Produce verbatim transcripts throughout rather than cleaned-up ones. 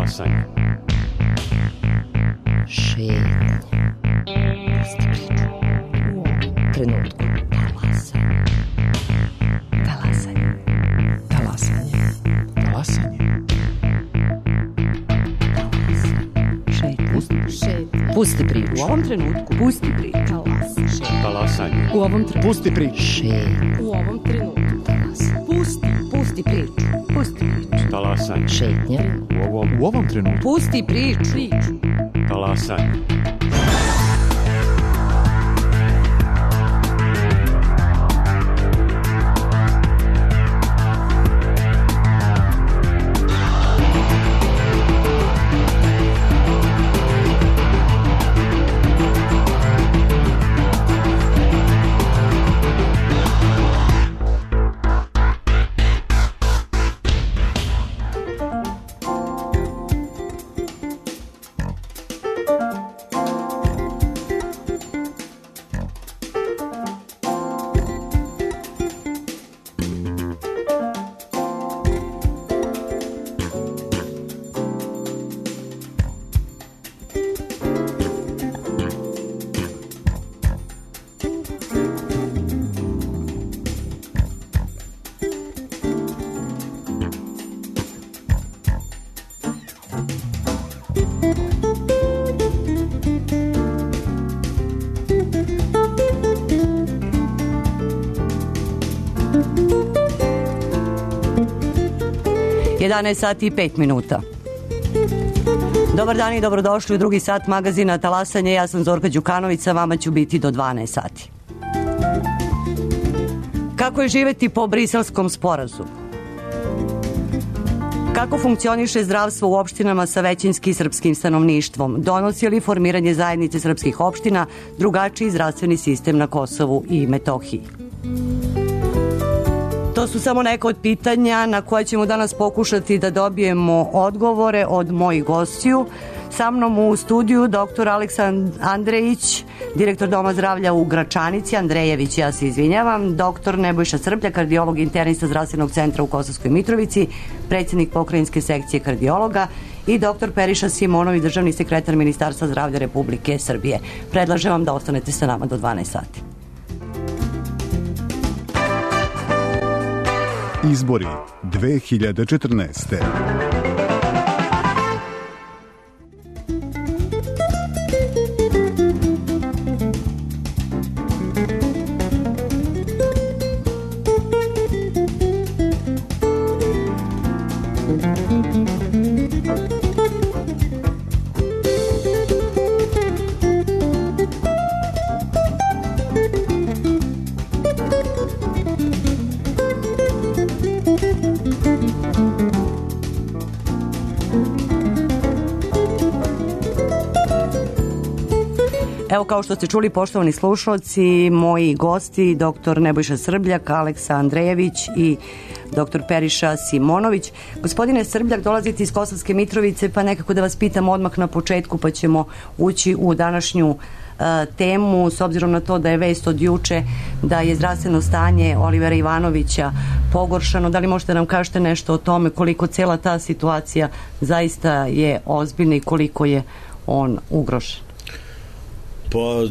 Talasanje. Šetnje. Pusti priču. U ovom trenutku. Talasanje. Talasanje. Talasanje. Talasanje. Šetnje. Pusti, Šetnje. Pusti priču. U ovom trenutku. Pusti priču. Talasanje. talasanje. U ovom trenutku. Pusti priču. Šetnje. U ovom trenutku. Talasanje. Pusti. Pusti priču. Pusti priču. Talasanje. Šetnje. U ovom, u ovom trenutku. Pusti priču. Priču. Talasanje. jedanaest sati i pet minuta. Dobar dan i dobrodošli u drugi sat magazina Talasanje. Ja sam Zorka Đukanović, sa vama ću biti do dvanaest sati. Kako je živeti po Briselskom sporazumu? Kako funkcioniše zdravstvo u opštinama sa većinski srpskim stanovništvom? Donosi li formiranje zajednice srpskih opština drugačiji zdravstveni sistem na Kosovu i Metohiji? To su samo neka od pitanja na koje ćemo danas pokušati da dobijemo odgovore od mojih gostiju. Sa mnom u studiju doktor Aleksandar Andrejić, direktor Doma zdravlja u Gračanici, Andrejević, ja se izvinjavam, doktor Nebojša Srblja, kardiolog internista zdravstvenog centra u Kosovskoj Mitrovici, predsjednik pokrajinske sekcije kardiologa, i doktor Periša Simonović, državni sekretar Ministarstva zdravlja Republike Srbije. Predlažem vam da ostanete sa nama do dvanaest sati. Izbori dve hiljade četrnaeste. Evo, kao što ste čuli, poštovani slušalci, moji gosti, doktor Nebojša Srbljak, Aleksa Andrejević i doktor Periša Simonović. Gospodine Srbljak, dolazite iz Kosovske Mitrovice, pa nekako da vas pitam odmah na početku, pa ćemo ući u današnju uh, temu, s obzirom na to da je vest od juče da je zdravstveno stanje Olivera Ivanovića pogoršano. Da li možete nam kažete nešto o tome, koliko cijela ta situacija zaista je ozbiljna i koliko je on ugrožen? Pa,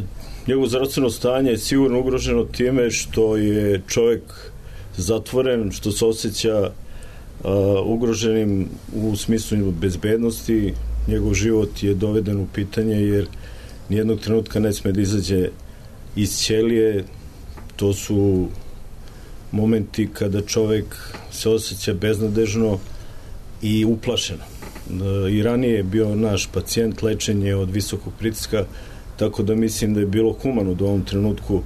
njegovo zdravstveno stanje je sigurno ugroženo time što je čovjek zatvoren, što se osjeća uh, ugroženim u smislu bezbednosti. Njegov život je doveden u pitanje jer nijednog trenutka ne sme da izađe iz ćelije. To su momenti kada čovjek se osjeća beznadežno i uplašeno. Uh, I ranije je bio naš pacijent, lečenje od visokog pritiska, tako da mislim da je bilo humano da u ovom trenutku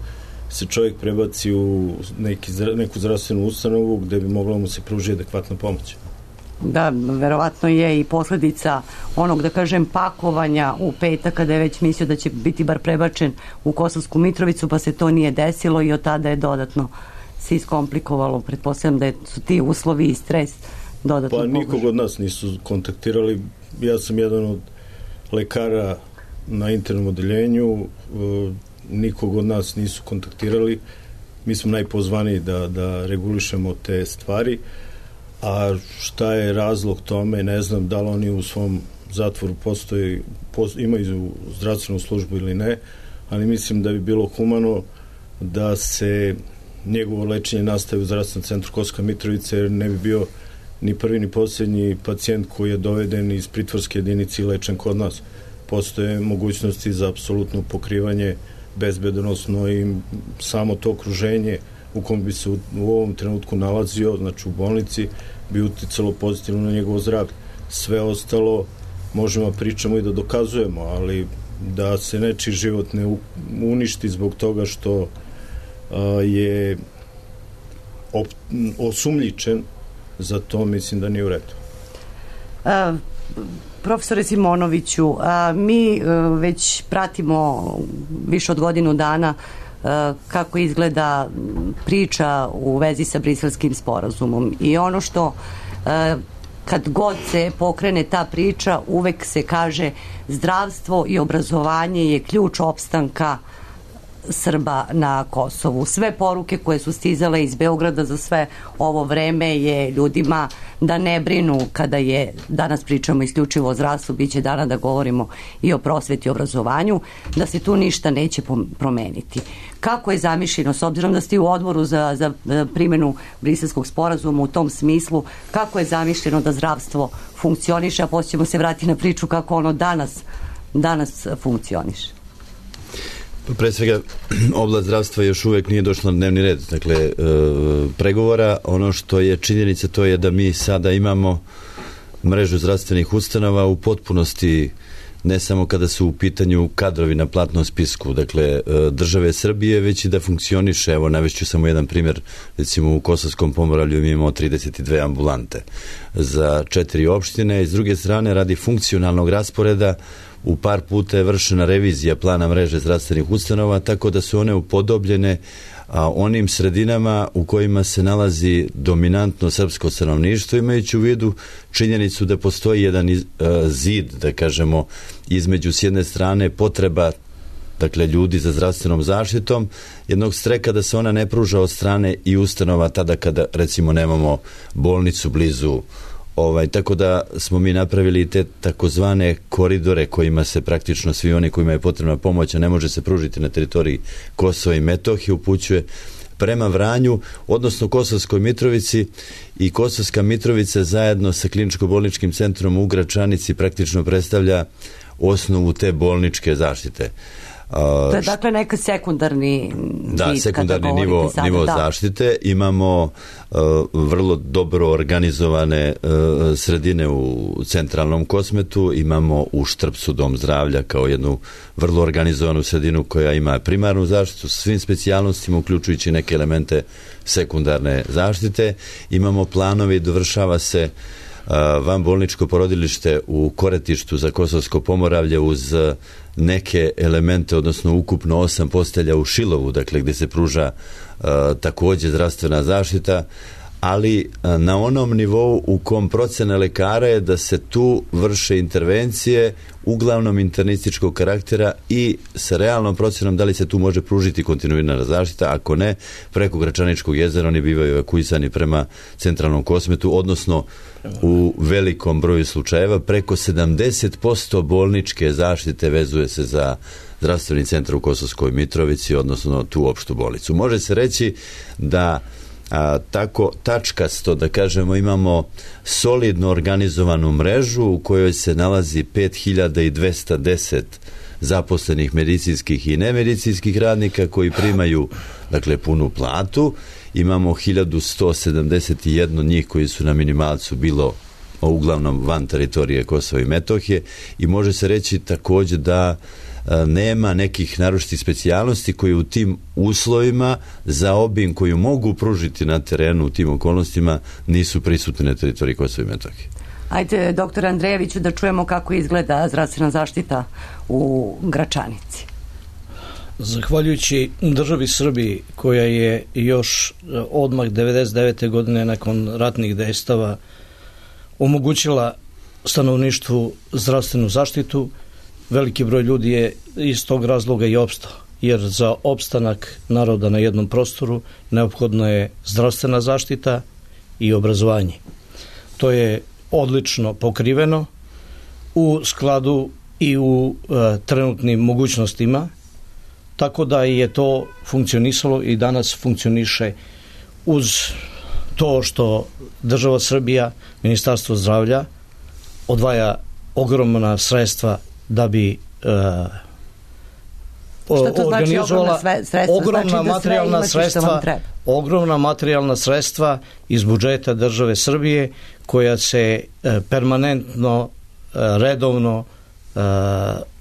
se čovjek prebaci u neki, neku zdravstvenu ustanovu gde bi mogla mu se pružiti adekvatna pomoć. Da, verovatno je i posljedica onog, da kažem, pakovanja u petak, kada je već mislio da će biti bar prebačen u Kosovsku Mitrovicu, pa se to nije desilo i od tada je dodatno se iskomplikovalo. Pretpostavljam da su ti uslovi i stres dodatno Pa pogoženi. nikog od nas nisu kontaktirali. Ja sam jedan od lekara na internom odeljenju, nikog od nas nisu kontaktirali. Mi smo najpozvaniji da, da regulišemo te stvari. a šta je razlog tome, ne znam da li oni u svom zatvoru postoji, postoji, imaju zdravstvenu službu ili ne, ali mislim da bi bilo humano da se njegovo lečenje nastavi u zdravstvenom centru Kosovska Mitrovica, jer ne bi bio ni prvi ni posljednji pacijent koji je doveden iz pritvorske jedinice i lečen kod nas. Postoje mogućnosti za apsolutno pokrivanje bezbednosno i samo to okruženje u kom bi se u, u ovom trenutku nalazio, znači u bolnici, bi uticalo pozitivno na njegovo zdravlje. Sve ostalo možemo pričamo i da dokazujemo, ali da se nečiji život ne uništi zbog toga što a, je op, osumljičen, za to mislim da nije u redu. A, profesore Simonoviću, a, mi a, već pratimo više od godinu dana a, kako izgleda priča u vezi sa Briselskim sporazumom i ono što a, kad god se pokrene ta priča, uvek se kaže zdravstvo i obrazovanje je ključ opstanka Srba na Kosovu. Sve poruke koje su stizale iz Beograda za sve ovo vreme je ljudima da ne brinu kada je, danas pričamo isključivo o zdravstvu, bit će dana da govorimo i o prosveti i obrazovanju, da se tu ništa neće promeniti. Kako je zamišljeno, s obzirom da ste u odboru za, za primjenu Briselskog sporazuma u tom smislu, kako je zamišljeno da zdravstvo funkcioniše, a poslije ćemo se vratiti na priču kako ono danas, danas funkcioniše? Pre svega, oblast zdravstva još uvek nije došla na dnevni red, dakle, e, pregovora. Ono što je činjenica, to je da mi sada imamo mrežu zdravstvenih ustanova u potpunosti, ne samo kada su u pitanju kadrovi na platnom spisku, dakle, države Srbije, već i da funkcioniše. Evo, navešću samo jedan primjer, recimo u Kosovskom Pomoravlju mi imamo trideset dve ambulante za četiri opštine, i s druge strane, radi funkcionalnog rasporeda, u par puta je vršena revizija plana mreže zdravstvenih ustanova, tako da su one upodobljene a, onim sredinama u kojima se nalazi dominantno srpsko stanovništvo, imajući u vidu činjenicu da postoji jedan iz, a, zid, da kažemo, između s jedne strane potreba, dakle, ljudi za zdravstvenom zaštitom, jednog streka da se ona ne pruža od strane i ustanova tada kada, recimo, nemamo bolnicu blizu. Ovaj, tako da smo mi napravili te takozvane koridore kojima se praktično svi oni kojima je potrebna pomoć, a ne može se pružiti na teritoriji Kosova i Metohije, upućuje prema Vranju, odnosno Kosovskoj Mitrovici, i Kosovska Mitrovica zajedno sa kliničko-bolničkim centrom u Gračanici praktično predstavlja osnovu te bolničke zaštite. To je dakle neka sekundarni da, sekundarni nivo, sada, nivo da. zaštite. Imamo uh, vrlo dobro organizovane uh, sredine u centralnom Kosmetu, imamo u Štrpcu dom zdravlja kao jednu vrlo organizovanu sredinu koja ima primarnu zaštitu s svim specijalnostima, uključujući neke elemente sekundarne zaštite. Imamo planovi i dovršava se vanbolničko porodilište u Koretištu za Kosovsko Pomoravlje uz neke elemente, odnosno ukupno osam postelja u Šilovu, dakle gdje se pruža uh, također zdravstvena zaštita, ali uh, na onom nivou u kom procena lekara je da se tu vrše intervencije uglavnom internističkog karaktera i sa realnom procenom da li se tu može pružiti kontinuirana zaštita, ako ne, preko Gračaničkog jezera oni bivaju evakuisani prema centralnom Kosmetu, odnosno u velikom broju slučajeva preko sedamdeset posto bolničke zaštite vezuje se za zdravstveni centar u Kosovskoj Mitrovici, odnosno tu opštu bolnicu. Može se reći da a, tako tačkasto, da kažemo, imamo solidno organizovanu mrežu u kojoj se nalazi pet hiljada dvesta deset zaposlenih medicinskih i nemedicinskih radnika koji primaju, dakle, punu platu. Imamo hiljadu sto sedamdeset jedan njih koji su na minimalcu, bilo uglavnom van teritorije Kosova i Metohije, i može se reći također da a, nema nekih naročitih specijalnosti koji u tim uslovima za obim koju mogu pružiti na terenu u tim okolnostima nisu prisutni na teritoriji Kosova i Metohije. Ajde, doktor Andrejeviću, da čujemo kako izgleda zdravstvena zaštita u Gračanici. Zahvaljujući državi Srbiji, koja je još odmah devedeset devete godine nakon ratnih dejstava omogućila stanovništvu zdravstvenu zaštitu, veliki broj ljudi je iz tog razloga i opstao, jer za opstanak naroda na jednom prostoru neophodna je zdravstvena zaštita i obrazovanje. to je odlično pokriveno u skladu i u e, trenutnim mogućnostima, tako da je to funkcionisalo i danas funkcioniše uz to što država Srbija, Ministarstvo zdravlja odvaja ogromna sredstva da bi e, Šta to znači ogromna sredstva? Ogromna znači da materijalna sredstva, ogromna materijalna sredstva iz budžeta države Srbije koja se e, permanentno, e, redovno e,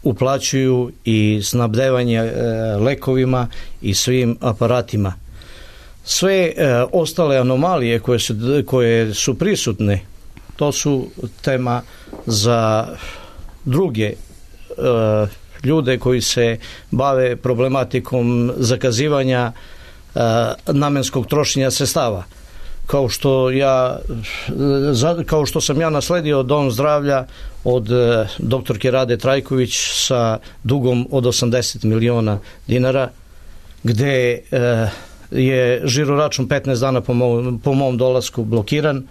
uplaćuju i snabdevanje e, lekovima i svim aparatima. Sve e, ostale anomalije koje su, koje su prisutne, to su tema za druge e, ljude koji se bave problematikom zakazivanja e, namenskog trošenja sredstava. Kao što ja za, kao što sam ja nasledio dom zdravlja od e, doktorke Rade Trajković sa dugom od osamdeset miliona dinara, gde e, je žiroračun petnaest dana po mom, po mom dolasku blokiran,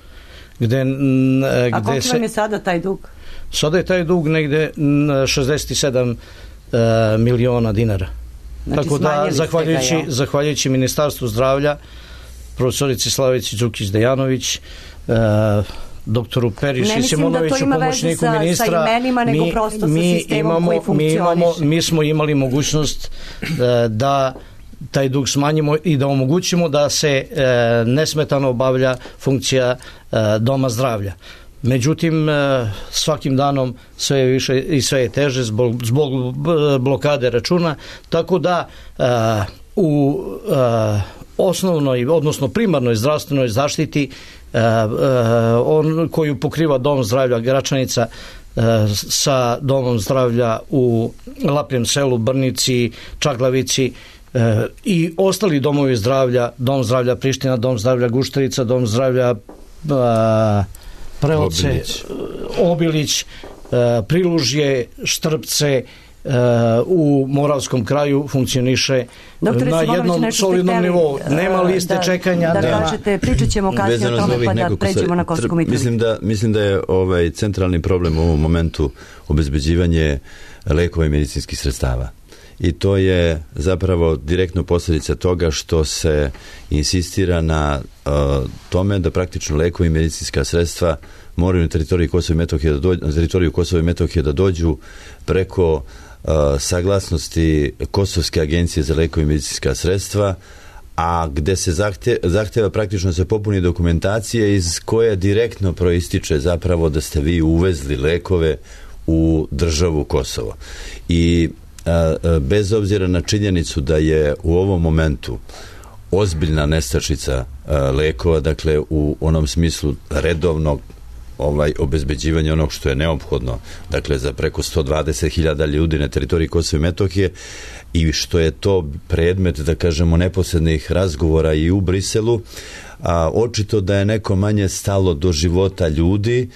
gde, gde A koliko se, vam je sada taj dug? Sada je taj dug negde šezdeset sedam uh, miliona dinara. Znači, tako da, zahvaljujući, ga, ja. zahvaljujući Ministarstvu zdravlja, profesorici Slavici Đukić-Dejanović, uh, doktoru Periši Simonoviću, da pomoćniku sa, ministra, sa imenima, nego mi, prosto mi sa sistemom imamo, koji funkcioniše. Mi, imamo, mi smo imali mogućnost uh, da taj dug smanjimo i da omogućimo da se e, nesmetano obavlja funkcija e, doma zdravlja. Međutim, e, svakim danom sve je više i sve je teže zbog, zbog blokade računa, tako da e, u e, osnovnoj, odnosno primarnoj zdravstvenoj zaštiti e, e, on, koju pokriva dom zdravlja Gračanica e, sa domom zdravlja u Lapljem selu, Brnici, Čaglavici, E, i ostali domovi zdravlja, dom zdravlja Priština, dom zdravlja Gušterica, dom zdravlja a, Preoce, Obilić, Obilić a, Prilužje, Štrpce, a, u Moravskom kraju funkcioniše Doktore, na jednom solidnom nivou. Nema liste da, čekanja. Da, nema. kažete, pričat ćemo kasnije o tome pa da pređemo na Kosovsku Mitrovicu. Mislim da, mislim da je ovaj centralni problem u ovom momentu obezbeđivanje lekova i medicinskih sredstava. I to je zapravo direktno posljedica toga što se insistira na uh, tome da praktično lekovi i medicinska sredstva moraju na teritoriju Kosova i Metohije da dođu, na teritoriju Kosova i Metohije da dođu preko uh, saglasnosti Kosovske agencije za lekove i medicinska sredstva, a gde se zahte, zahteva praktično se popuni dokumentacije iz koje direktno proističe zapravo da ste vi uvezli lekove u državu Kosovo. I bez obzira na činjenicu da je u ovom momentu ozbiljna nestašica lekova, dakle u onom smislu redovnog ovaj obezbeđivanja onog što je neophodno, dakle za preko sto dvadeset hiljada ljudi na teritoriji Kosova i Metohije, i što je to predmet, da kažemo, neposrednih razgovora i u Briselu, a očito da je neko manje stalo do života ljudi,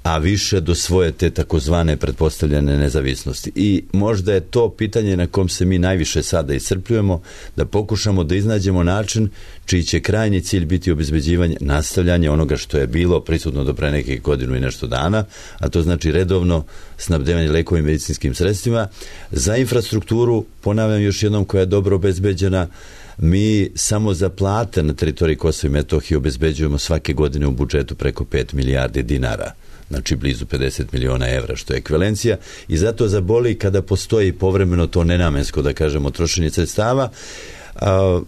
a više do svoje te takozvane pretpostavljene nezavisnosti. I možda je to pitanje na kom se mi najviše sada iscrpljujemo, da pokušamo da iznađemo način čiji će krajnji cilj biti obezbeđivanje, nastavljanje onoga što je bilo prisutno do pre nekih godinu i nešto dana, a to znači redovno snabdevanje lekovim i medicinskim sredstvima. Za infrastrukturu, ponavljam još jednom, koja je dobro obezbeđena, mi samo za plate na teritoriji Kosova i Metohije obezbeđujemo svake godine u budžetu preko pet milijardi dinara. Znači blizu pedeset miliona evra, što je ekvivalencija, i zato zaboli kada postoji povremeno to nenamensko, da kažemo, trošenje sredstava. A,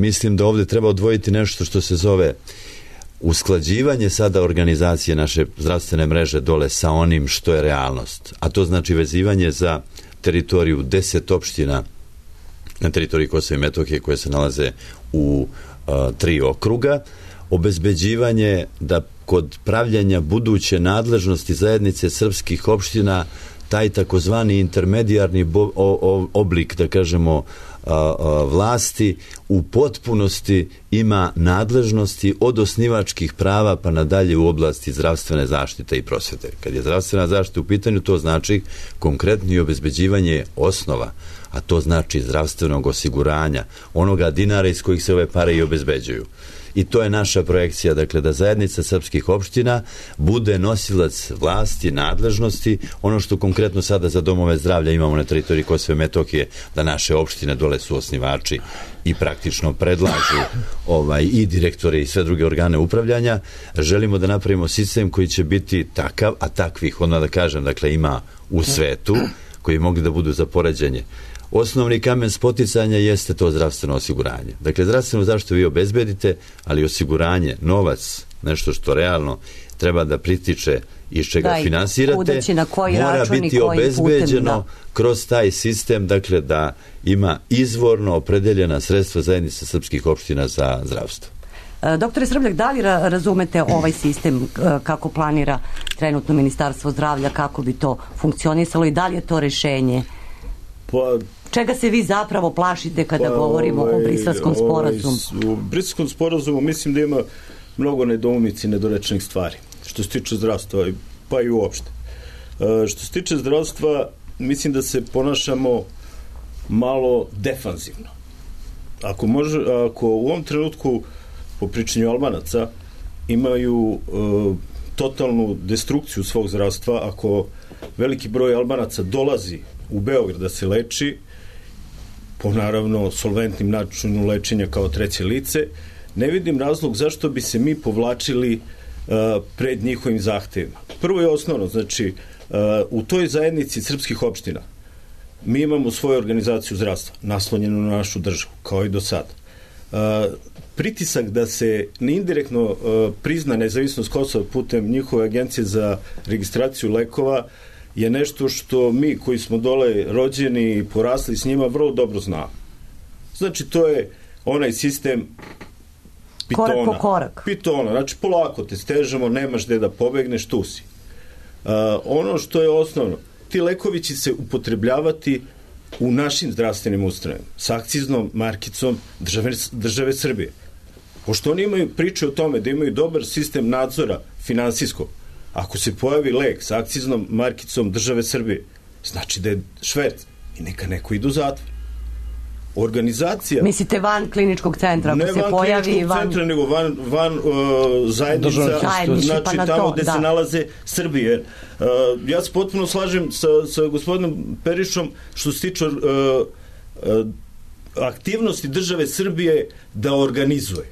mislim da ovdje treba odvojiti nešto što se zove usklađivanje sada organizacije naše zdravstvene mreže dole sa onim što je realnost, a to znači vezivanje za teritoriju deset opština na teritoriji Kosova i Metohije koje se nalaze u a, tri okruga, obezbeđivanje da kod pravljanja buduće nadležnosti zajednice srpskih opština taj takozvani intermedijarni bo, o, o, oblik, da kažemo, a, a, vlasti u potpunosti ima nadležnosti od osnivačkih prava pa nadalje u oblasti zdravstvene zaštite i prosvete. Kad je zdravstvena zaštita u pitanju, to znači konkretno i obezbeđivanje osnova, a to znači zdravstvenog osiguranja, onoga dinara iz kojih se ove pare i obezbeđuju. i to je naša projekcija, dakle da zajednica srpskih opština bude nosilac vlasti, nadležnosti, ono što konkretno sada za domove zdravlja imamo na teritoriji Kosova i Metohije, da naše opštine dole su osnivači i praktično predlažu ovaj, i direktore i sve druge organe upravljanja. Želimo da napravimo sistem koji će biti takav, a takvih, ono da kažem, dakle ima u svetu, koji mogli da budu za poređenje. Osnovni kamen spoticanja jeste to zdravstveno osiguranje. Dakle, zdravstvenu zaštitu vi obezbedite, ali osiguranje, novac, nešto što realno treba da pritiče iz čega da, finansirate, mora biti obezbeđeno putem, kroz taj sistem, dakle da ima izvorno opredeljena sredstva zajednice srpskih opština za zdravstvo. Doktore Srbljak, da li razumete ovaj sistem kako planira trenutno Ministarstvo zdravlja, kako bi to funkcionisalo i da li je to rešenje? Pa, čega se vi zapravo plašite kada pa, govorimo ovaj, o Briselskom sporazumu? Ovaj, u Briselskom sporazumu mislim da ima mnogo nedoumica i nedorečenih stvari što se tiče zdravstva, pa i uopšte. E, što se tiče zdravstva, mislim da se ponašamo malo defanzivno. Ako, može, ako u ovom trenutku po pričanju Albanaca imaju e, totalnu destrukciju svog zdravstva, ako veliki broj Albanaca dolazi u Beograd da se leči po naravno solventnim načinu lečenja kao treće lice, ne vidim razlog zašto bi se mi povlačili uh, pred njihovim zahtevima. Prvo je osnovno, znači uh, u toj zajednici srpskih opština mi imamo svoju organizaciju zdravstva naslonjenu na našu državu, kao i do sada. Uh, pritisak da se neindirektno uh, prizna nezavisnost Kosova putem njihove agencije za registraciju lekova je nešto što mi koji smo dole rođeni i porasli s njima vrlo dobro znamo. Znači to je onaj sistem pitona. Korak po korak. Pitona, znači polako te stežemo, nemaš gde da pobegneš, tu si. Uh, ono što je osnovno, ti lekovi će se upotrebljavati u našim zdravstvenim ustanovama sa akciznom markicom države, države Srbije. Pošto oni imaju priče o tome da imaju dobar sistem nadzora finansijskog, ako se pojavi lek sa akciznom markicom države Srbije, znači da je šverc i neka neko ide u zatvor. Organizacija... Mislite van kliničkog centra, ako ne se pojavi... Ne van kliničkog van... centra, nego van, van uh, zajednica, znači pa tamo to, gde da. se nalaze Srbije. Uh, ja se potpuno slažem sa, sa gospodinom Perišom što se tiče uh, uh, aktivnosti države Srbije da organizuje.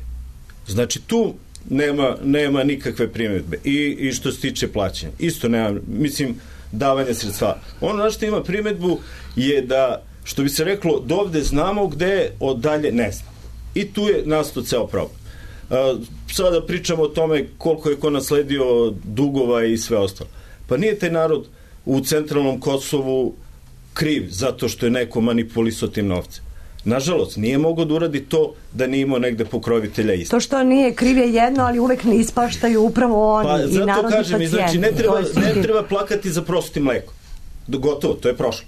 Znači tu nema, nema nikakve primjedbe. I, i što se tiče plaćanja. Isto nema, mislim, davanja sredstva. Ono na što ima primjedbu je da, što bi se reklo, dovde znamo gde, od dalje ne znam. I tu je nastao ceo problem. A, sada pričamo o tome koliko je ko nasledio dugova i sve ostalo. Pa nije taj narod u centralnom Kosovu kriv zato što je neko manipulisao tim novcem. Nažalost, nije mogao da uradi to da nije imao negde pokrovitelja isto. To što nije kriv je jedno, ali uvek ne ispaštaju upravo oni pa, i narodni kažem, pacijenti. Znači, ne treba, ne treba plakati za prosutim mlekom. Gotovo, to je prošlo.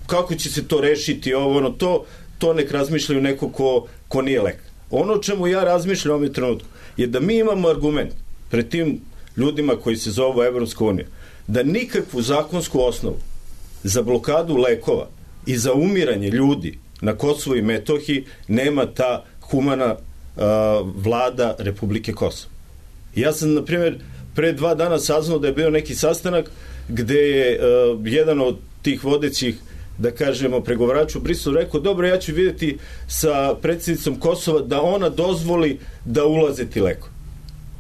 Kako će se to rešiti, ovo, ono, to, to nek razmišljaju neko ko, ko nije lekar. Ono o čemu ja razmišljam u ovom trenutku je da mi imamo argument pred tim ljudima koji se zovu Evropska unija, da nikakvu zakonsku osnovu za blokadu lekova i za umiranje ljudi na Kosovu i Metohiji nema ta humana uh, vlada Republike Kosovo. Ja sam, na primjer, pre dva dana saznao da je bio neki sastanak gde je uh, jedan od tih vodećih, da kažemo, pregovarača u Briselu rekao, dobro, ja ću vidjeti sa predsjednicom Kosova da ona dozvoli da ulaze ti leko.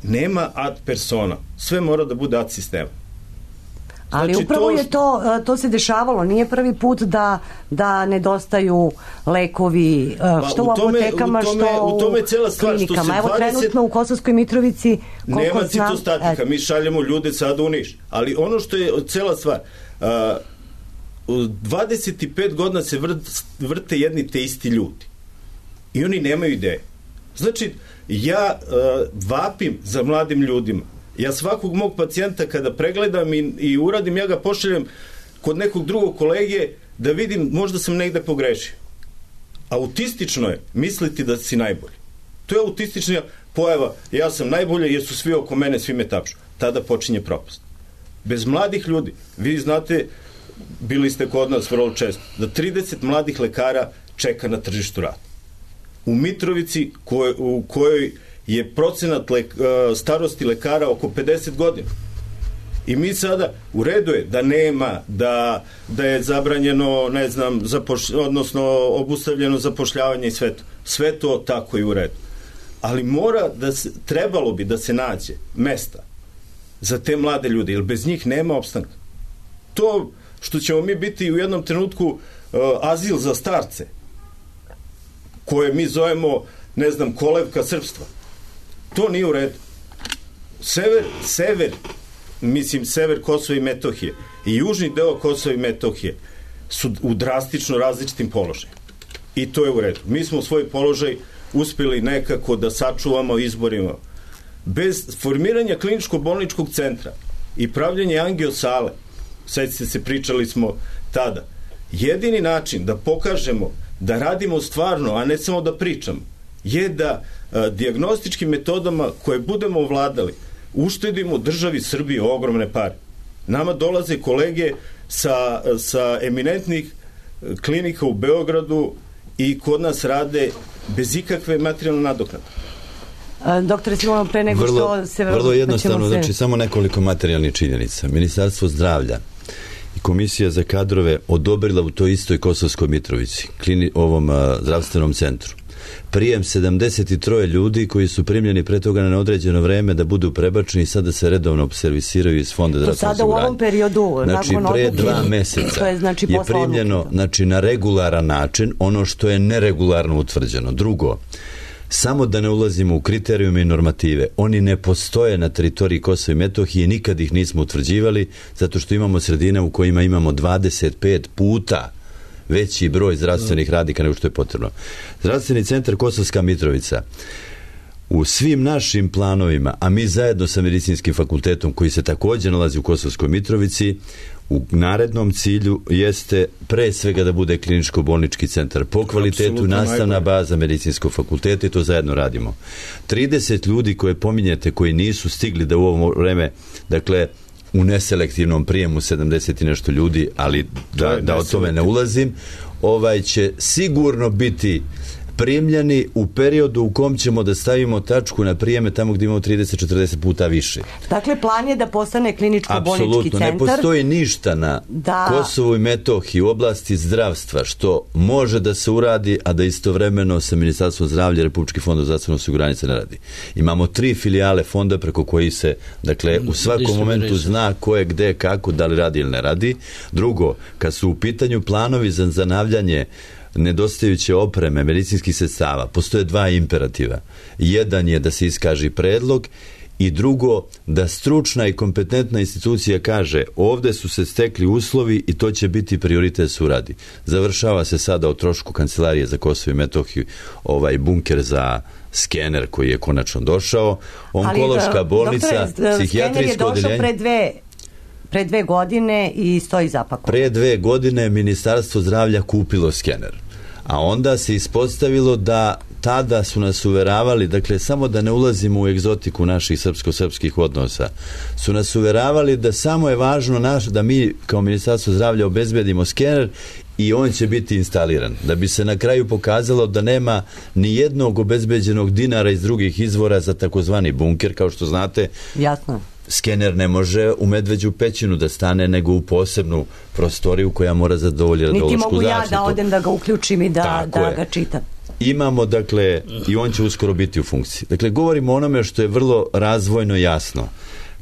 Nema ad persona. Sve mora da bude ad sistema. Ali znači, upravo to... je to, to se dešavalo, nije prvi put da, da nedostaju lekovi, što pa, u, tome, u apotekama, u tome, što u, tome cela stvar, klinikama. Što se Evo dvadeset... trenutno u Kosovskoj Mitrovici, koliko nema znam... citostatika, mi šaljemo ljude sada u Niš. Ali ono što je cela stvar, uh, dvadeset pet godina se vrt, vrte jedni te isti ljudi. I oni nemaju ideje. Znači, ja uh, vapim za mladim ljudima. Ja svakog mog pacijenta kada pregledam i, i uradim, ja ga pošaljem kod nekog drugog kolege da vidim, možda sam negde pogrešio. Autistično je misliti da si najbolji. To je autistična pojava, ja sam najbolji jer su svi oko mene, svi me tapšu. Tada počinje propast. Bez mladih ljudi, vi znate, bili ste kod nas vrlo često, da trideset mladih lekara čeka na tržištu rada. U Mitrovici, koj, u kojoj je procenat lek, starosti lekara oko pedeset godina. I mi sada, u redu je da nema, da, da je zabranjeno, ne znam, zapoš, odnosno obustavljeno zapošljavanje i sve to. Sve to tako i u redu. Ali mora da se, trebalo bi da se nađe mesta za te mlade ljude, jer bez njih nema opstanka. To što ćemo mi biti u jednom trenutku uh, azil za starce, koje mi zovemo, ne znam, kolevka srpstva, to nije u redu. Sever, sever, mislim, sever Kosova i Metohije i južni deo Kosova i Metohije su u drastično različitim položajima. I to je u redu. Mi smo u svoj položaj uspjeli nekako da sačuvamo izborima. Bez formiranja kliničko-bolničkog centra i pravljanja angiosale, sećate se, pričali smo tada, jedini način da pokažemo da radimo stvarno, a ne samo da pričamo, je da a, dijagnostičkim metodama koje budemo ovladali uštedimo državi Srbiji ogromne pare. Nama dolaze kolege sa, sa eminentnih klinika u Beogradu i kod nas rade bez ikakve materijalne nadoknade. Doktore Simonov, pre nego vrlo, što se... Vrlo jednostavno, se... znači samo nekoliko materijalnih činjenica. Ministarstvo zdravlja i Komisija za kadrove odobrila u toj istoj Kosovskoj Mitrovici, klini, ovom a, zdravstvenom centru, prijem sedamdeset tri ljudi koji su primljeni pre toga na neodređeno vreme da budu prebačeni i sada se redovno servisiraju iz Fonda zdravstvenog osiguranja. Sada u ovom periodu, znači, nakon pre odluke, dva meseca je, znači, je primljeno, znači, na regularan način ono što je neregularno utvrđeno. Drugo, samo da ne ulazimo u kriterijume i normative, oni ne postoje na teritoriji Kosova i Metohije, nikad ih nismo utvrđivali, zato što imamo sredine u kojima imamo dvadeset pet puta veći broj zdravstvenih radnika nego što je potrebno. Zdravstveni centar Kosovska Mitrovica u svim našim planovima, a mi zajedno sa medicinskim fakultetom koji se također nalazi u Kosovskoj Mitrovici, u narednom cilju jeste pre svega da bude kliničko-bolnički centar po kvalitetu, absolutno nastavna najbolje baza medicinskog fakulteta i to zajedno radimo. trideset ljudi koje pominjete koji nisu stigli da u ovo vreme, dakle, u neselektivnom prijemu sedamdeset i nešto ljudi, ali da, da o tome ne ulazim, ovaj će sigurno biti primljeni u periodu u kom ćemo da stavimo tačku na prijeme tamo gdje imamo trideset do četrdeset puta više. Dakle, plan je da postane kliničko-bolnički centar. Apsolutno, ne postoji ništa na da... Kosovu i Metohiji u oblasti zdravstva što može da se uradi, a da istovremeno sa Ministarstvom zdravlja i Republički fond za zdravstveno osiguranje se ne radi. Imamo tri filijale fonda preko koji se, dakle, u svakom momentu zna ko je gde, kako, da li radi ili ne radi. Drugo, kad su u pitanju planovi za zanavljanje nedostajuće opreme, medicinskih sredstava, postoje dva imperativa. Jedan je da se iskaži predlog i drugo, da stručna i kompetentna institucija kaže ovde su se stekli uslovi i to će biti prioritet da se uradi. Završava se sada o trošku Kancelarije za Kosovo i Metohiju ovaj bunker za skener koji je konačno došao. Onkološka ali, bolnica, doktore, psihijatrijsko odeljenje... skener je došao pre dve... Pre dve godine i stoji zapakovan. Pre dve godine Ministarstvo zdravlja kupilo skener. A onda se ispostavilo da tada su nas uveravali, dakle, samo da ne ulazimo u egzotiku naših srpsko-srpskih odnosa, su nas uveravali da samo je važno naš, da mi kao Ministarstvo zdravlja obezbedimo skener i on će biti instaliran. Da bi se na kraju pokazalo da nema ni jednog obezbeđenog dinara iz drugih izvora za takozvani bunker, kao što znate. Jasno. Skener ne može u Medveđu pećinu da stane, nego u posebnu prostoriju koja mora zadovoljiti radiološku zaštitu. Niti mogu ja da odem da ga uključim i da, da ga čitam. Imamo, dakle, i on će uskoro biti u funkciji. Dakle, govorimo o onome što je vrlo razvojno jasno.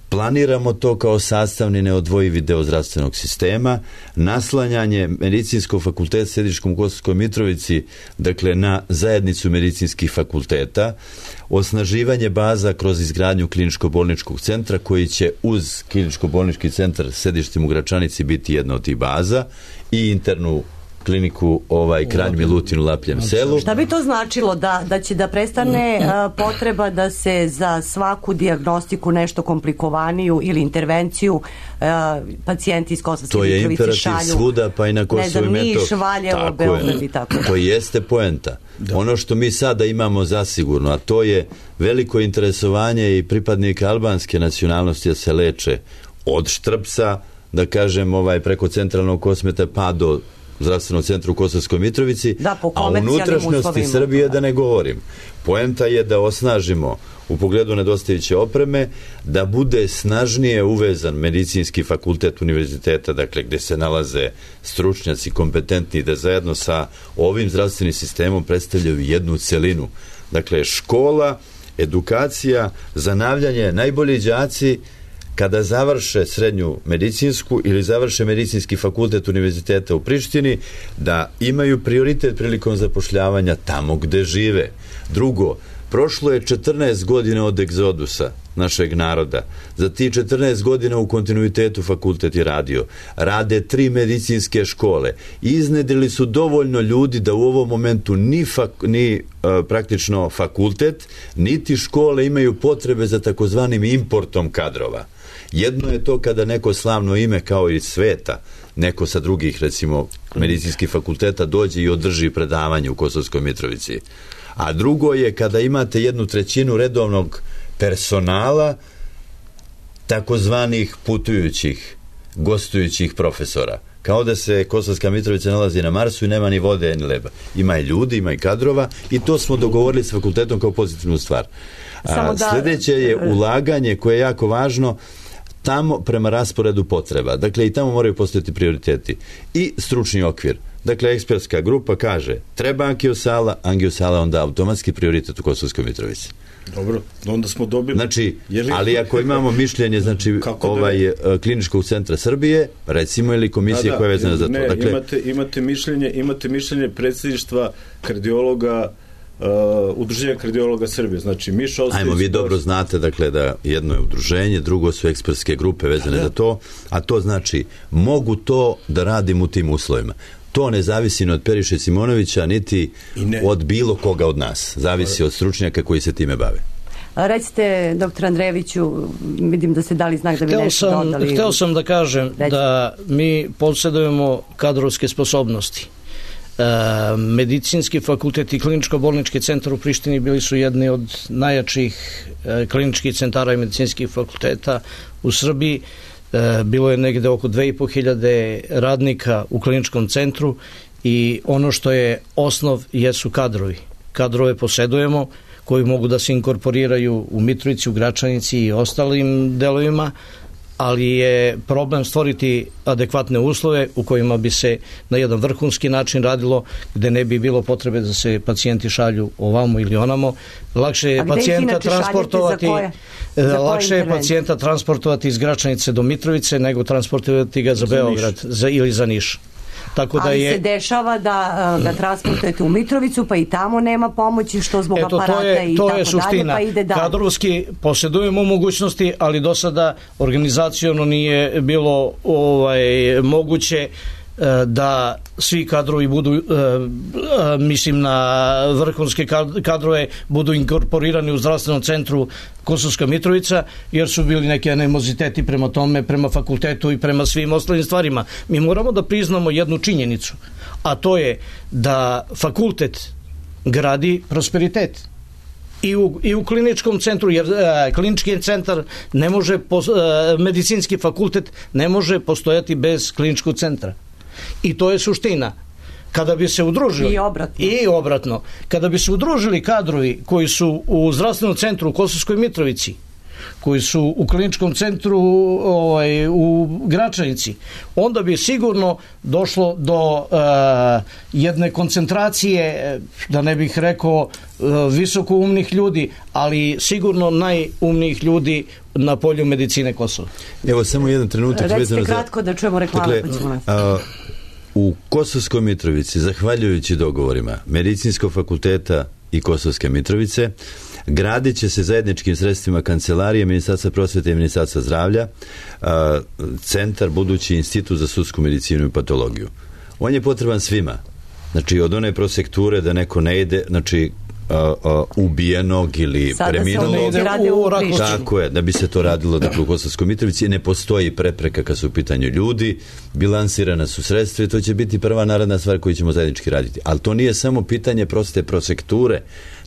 Planiramo to kao sastavni neodvojivi deo zdravstvenog sistema, naslanjanje medicinskog fakulteta sediškom u Kosovskoj Mitrovici, dakle, na zajednicu medicinskih fakulteta, osnaživanje baza kroz izgradnju kliničko-bolničkog centra koji će uz kliničko-bolnički centar sedištem u Gračanici biti jedna od tih baza i internu kliniku ovaj Kranj Milutin u Lapljem selu. Šta bi to značilo? Da, da će da prestane uh, potreba da se za svaku dijagnostiku nešto komplikovaniju ili intervenciju uh, pacijenti iz Kosovske Mitrovice šalju? To je imperativ svuda, pa i na Kosovu i Metohiji. Niš, Valjevo, Beograd i tako. To jeste poenta. Da. Ono što mi sada imamo zasigurno, a to je veliko interesovanje i pripadnika albanske nacionalnosti da se leče od Štrpsa, da kažem, ovaj preko centralnog Kosmeta pa do zdravstvenog centra u Kosovskoj Mitrovici, da, a u unutrašnjosti Srbije da ne govorim. Poenta je da osnažimo u pogledu nedostajuće opreme, da bude snažnije uvezan medicinski fakultet univerziteta, dakle gde se nalaze stručnjaci kompetentni, da zajedno sa ovim zdravstvenim sistemom predstavljaju jednu celinu. Dakle, škola, edukacija, zanavljanje, najbolji đaci kada završe srednju medicinsku ili završe medicinski fakultet univerziteta u Prištini, da imaju prioritet prilikom zapošljavanja tamo gde žive. Drugo, prošlo je četrnaest godina od egzodusa našeg naroda. Za ti četrnaest godina u kontinuitetu fakultet je radio. Rade tri medicinske škole. Iznedrili su dovoljno ljudi da u ovom momentu ni, fak, ni uh, praktično fakultet, niti škole imaju potrebe za takozvanim importom kadrova. Jedno je to kada neko slavno ime kao iz sveta, neko sa drugih, recimo, medicinskih fakulteta dođe i održi predavanje u Kosovskoj Mitrovici. A drugo je kada imate jednu trećinu redovnog personala takozvanih putujućih, gostujućih profesora. Kao da se Kosovska Mitrovica nalazi na Marsu i nema ni vode, ni leba. Ima i ljudi, ima i kadrova i to smo dogovorili s fakultetom kao pozitivnu stvar. A, da... Sljedeće je ulaganje koje je jako važno tamo prema rasporedu potreba. Dakle, i tamo moraju postojati prioriteti. I stručni okvir. Dakle, ekspertska grupa kaže treba angiosala, angiosala onda automatski prioritet u Kosovskoj Mitrovici. Dobro, onda smo dobili... Znači, ali ako imamo mišljenje, znači, ovaj da... kliničkog centra Srbije, recimo, ili komisije da, koja je vezana za to. Ne, dakle, imate, imate mišljenje, imate mišljenje predsjedništva kardiologa, uh, udruženja kardiologa Srbije. Znači, Miša Ostojić... Ajmo, vi dobro znate, dakle, da jedno je udruženje, drugo su ekspertske grupe vezane da. za to, a to znači, mogu to da radim u tim uslovima. To ne zavisi ni od Periše Simonovića, niti od bilo koga od nas. Zavisi od stručnjaka koji se time bave. A recite, doktor Andrejeviću, vidim da ste dali znak da bi hteo nešto sam, dodali. Hteo sam da kažem Recite. da mi posjedujemo kadrovske sposobnosti. E, medicinski fakultet i kliničko-bolnički centar u Prištini bili su jedni od najjačih e, kliničkih centara i medicinskih fakulteta u Srbiji. Bilo je negde oko dve i po hiljade radnika u kliničkom centru i ono što je osnov jesu kadrovi. Kadrove posedujemo koji mogu da se inkorporiraju u Mitrovici, u Gračanici i ostalim delovima, ali je problem stvoriti adekvatne uslove u kojima bi se na jedan vrhunski način radilo, gde ne bi bilo potrebe da se pacijenti šalju ovamo ili onamo. Lakše je pacijenta transportovati za lakše je pacijenta transportovati iz Gračanice do Mitrovice nego transportovati ga za, za Beograd za, ili za Niš. Tako da ali je... se dešava da uh, ga transportujete u Mitrovicu pa i tamo nema pomoći što zbog Eto, aparata je, i tako dalje suština. Pa ide dalje. Kadrovski posjedujemo mogućnosti, ali do sada organizaciono nije bilo ovaj, moguće da svi kadrovi budu, mislim na vrhunske kadrove, budu inkorporirani u zdravstvenom centru Kosovska Mitrovica, jer su bili neki animoziteti prema tome, prema fakultetu i prema svim ostalim stvarima. Mi moramo da priznamo jednu činjenicu, a to je da fakultet gradi prosperitet. I u, i u kliničkom centru, jer e, klinički centar ne može, pos, e, medicinski fakultet ne može postojati bez kliničkog centra. I to je suština. Kada bi se udružili i obratno. i obratno, kada bi se udružili kadrovi koji su u zdravstvenom centru u Kosovskoj Mitrovici, koji su u kliničkom centru ovaj, u Gračanici, onda bi sigurno došlo do uh, jedne koncentracije, da ne bih rekao uh, visoko umnih ljudi, ali sigurno najumnijih ljudi na polju medicine Kosova. Evo samo jedan trenutak. Recite kratko da čujemo reklame. Dakle, a, u Kosovskoj Mitrovici, zahvaljujući dogovorima Medicinskog fakulteta i Kosovske Mitrovice, gradit će se zajedničkim sredstvima kancelarije Ministarstva prosvete i Ministarstva zdravlja a, centar, budući institut za sudsku medicinu i patologiju. On je potreban svima. Znači, od one prosekture da neko ne ide, znači, a, a, ubijenog ili sada preminulog. U Tako je, da bi se to radilo dakle, u Kosovskoj Mitrovici. Ne postoji prepreka kad su u pitanju ljudi, bilansirana su sredstva i to će biti prva naredna stvar koju ćemo zajednički raditi. Ali to nije samo pitanje proste prosekture,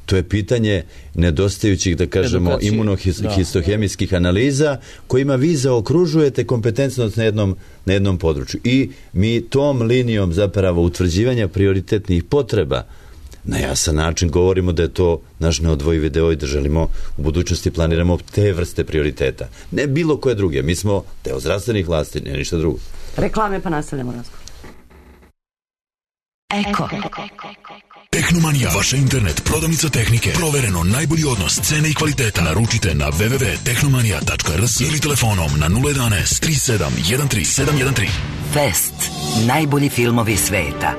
To je pitanje nedostajućih, da kažemo, imunohistohemijskih analiza kojima vi zaokružujete kompetentnost na jednom, na jednom području. I mi tom linijom zapravo utvrđivanja prioritetnih potreba na jasan način govorimo da je to naš neodvojivi deo i da želimo u budućnosti planiramo te vrste prioriteta. Ne bilo koje druge. Mi smo deo zdravstvenih vlasti, ne ništa drugo. Reklame pa nastavljamo razgovor. Eko. Tehnomanija, vaša internet prodavnica tehnike. Provereno najbolji odnos cene i kvaliteta. Naručite na w w w tačka tehnomanija tačka r s ili telefonom na nula jedan tri sedam jedan tri sedam jedan tri. Fest. Najbolji filmovi sveta.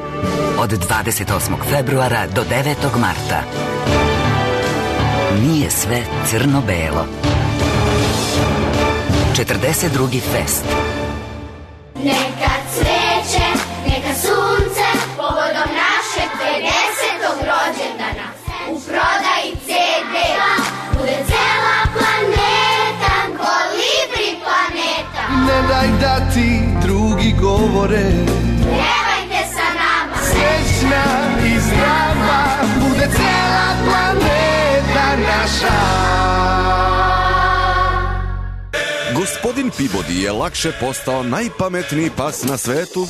Od dvadeset osmog februara do devetog marta. Nije sve crno-belo. četrdeset drugi Fest. Neka cveće, neka sunce, povodom našeg pedesetog rođendana. U prodaji ce de bude cela planeta, kolibri planeta. Ne daj da ti drugi govore, pjevajte sa nama. Srećna i zdrava bude cela planeta naša. Gospodin Peabody je lakše postao najpametniji pas na svetu.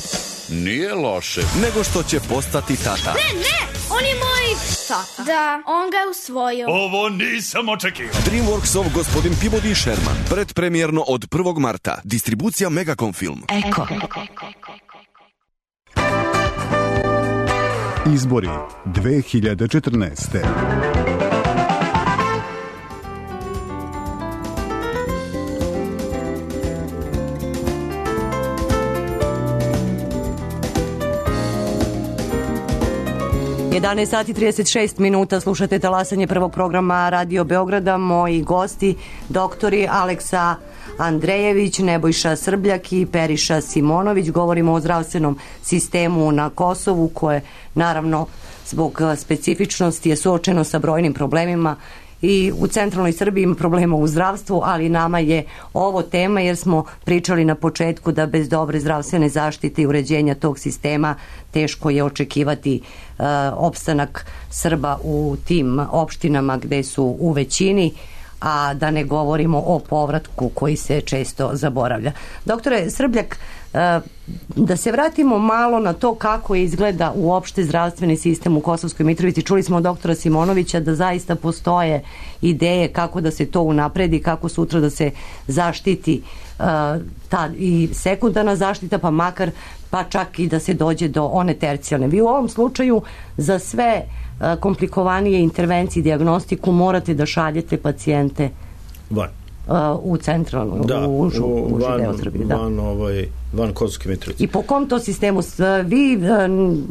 Nije loše. Nego što će postati tata. Ne, ne, on je moj tata. Da, on ga je usvojio. Ovo nisam očekio. DreamWorksov Gospodin Peabody i Sherman. Predpremjerno od prvog marta. Distribucija Megacom Film. Eko. Izbori dve hiljade četrnaeste. jedanaest sati i trideset šest minuta, slušate talasanje prvog programa Radio Beograda. Moji gosti, doktori Aleksa Andrejević, Nebojša Srbljak i Periša Simonović. Govorimo o zdravstvenom sistemu na Kosovu koje naravno zbog specifičnosti je suočeno sa brojnim problemima. I u centralnoj Srbiji ima problema u zdravstvu, ali nama je ovo tema jer smo pričali na početku da bez dobre zdravstvene zaštite i uređenja tog sistema teško je očekivati uh, opstanak Srba u tim opštinama gde su u većini, a da ne govorimo o povratku koji se često zaboravlja. Doktore Srbljak, da se vratimo malo na to kako izgleda uopšte zdravstveni sistem u Kosovskoj Mitrovici. Čuli smo od doktora Simonovića da zaista postoje ideje kako da se to unapredi, kako sutra da se zaštiti uh, ta i sekundarna zaštita, pa makar pa čak i da se dođe do one tercijalne. Vi u ovom slučaju za sve uh, komplikovanije intervencije i dijagnostiku morate da šaljete pacijente van. Uh, u centralnu, da, u užu, u, užu van, deo Srbije. Da. Van, ovaj, van Kosovske Mitrovice. I po kom to sistemu? Vi uh,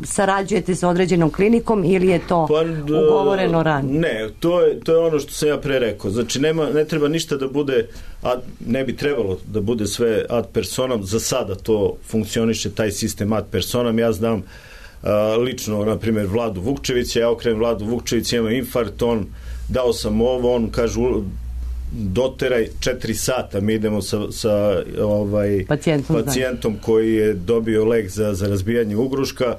sarađujete sa određenom klinikom ili je to pa, d, ugovoreno ranije? Ne, to je, to je ono što sam ja pre rekao. Znači, nema, ne treba ništa da bude, ad, ne bi trebalo da bude sve ad personam. Za sada to funkcioniše, taj sistem ad personam. Ja znam uh, lično, na primjer, Vladu Vukčevića, ja okrenem Vladu Vukčevića, ima infarkt, on dao sam ovo, on kaže doteraj četiri sata, mi idemo sa, sa ovaj, pacijentom, pacijentom koji je dobio lek za, za razbijanje ugruška,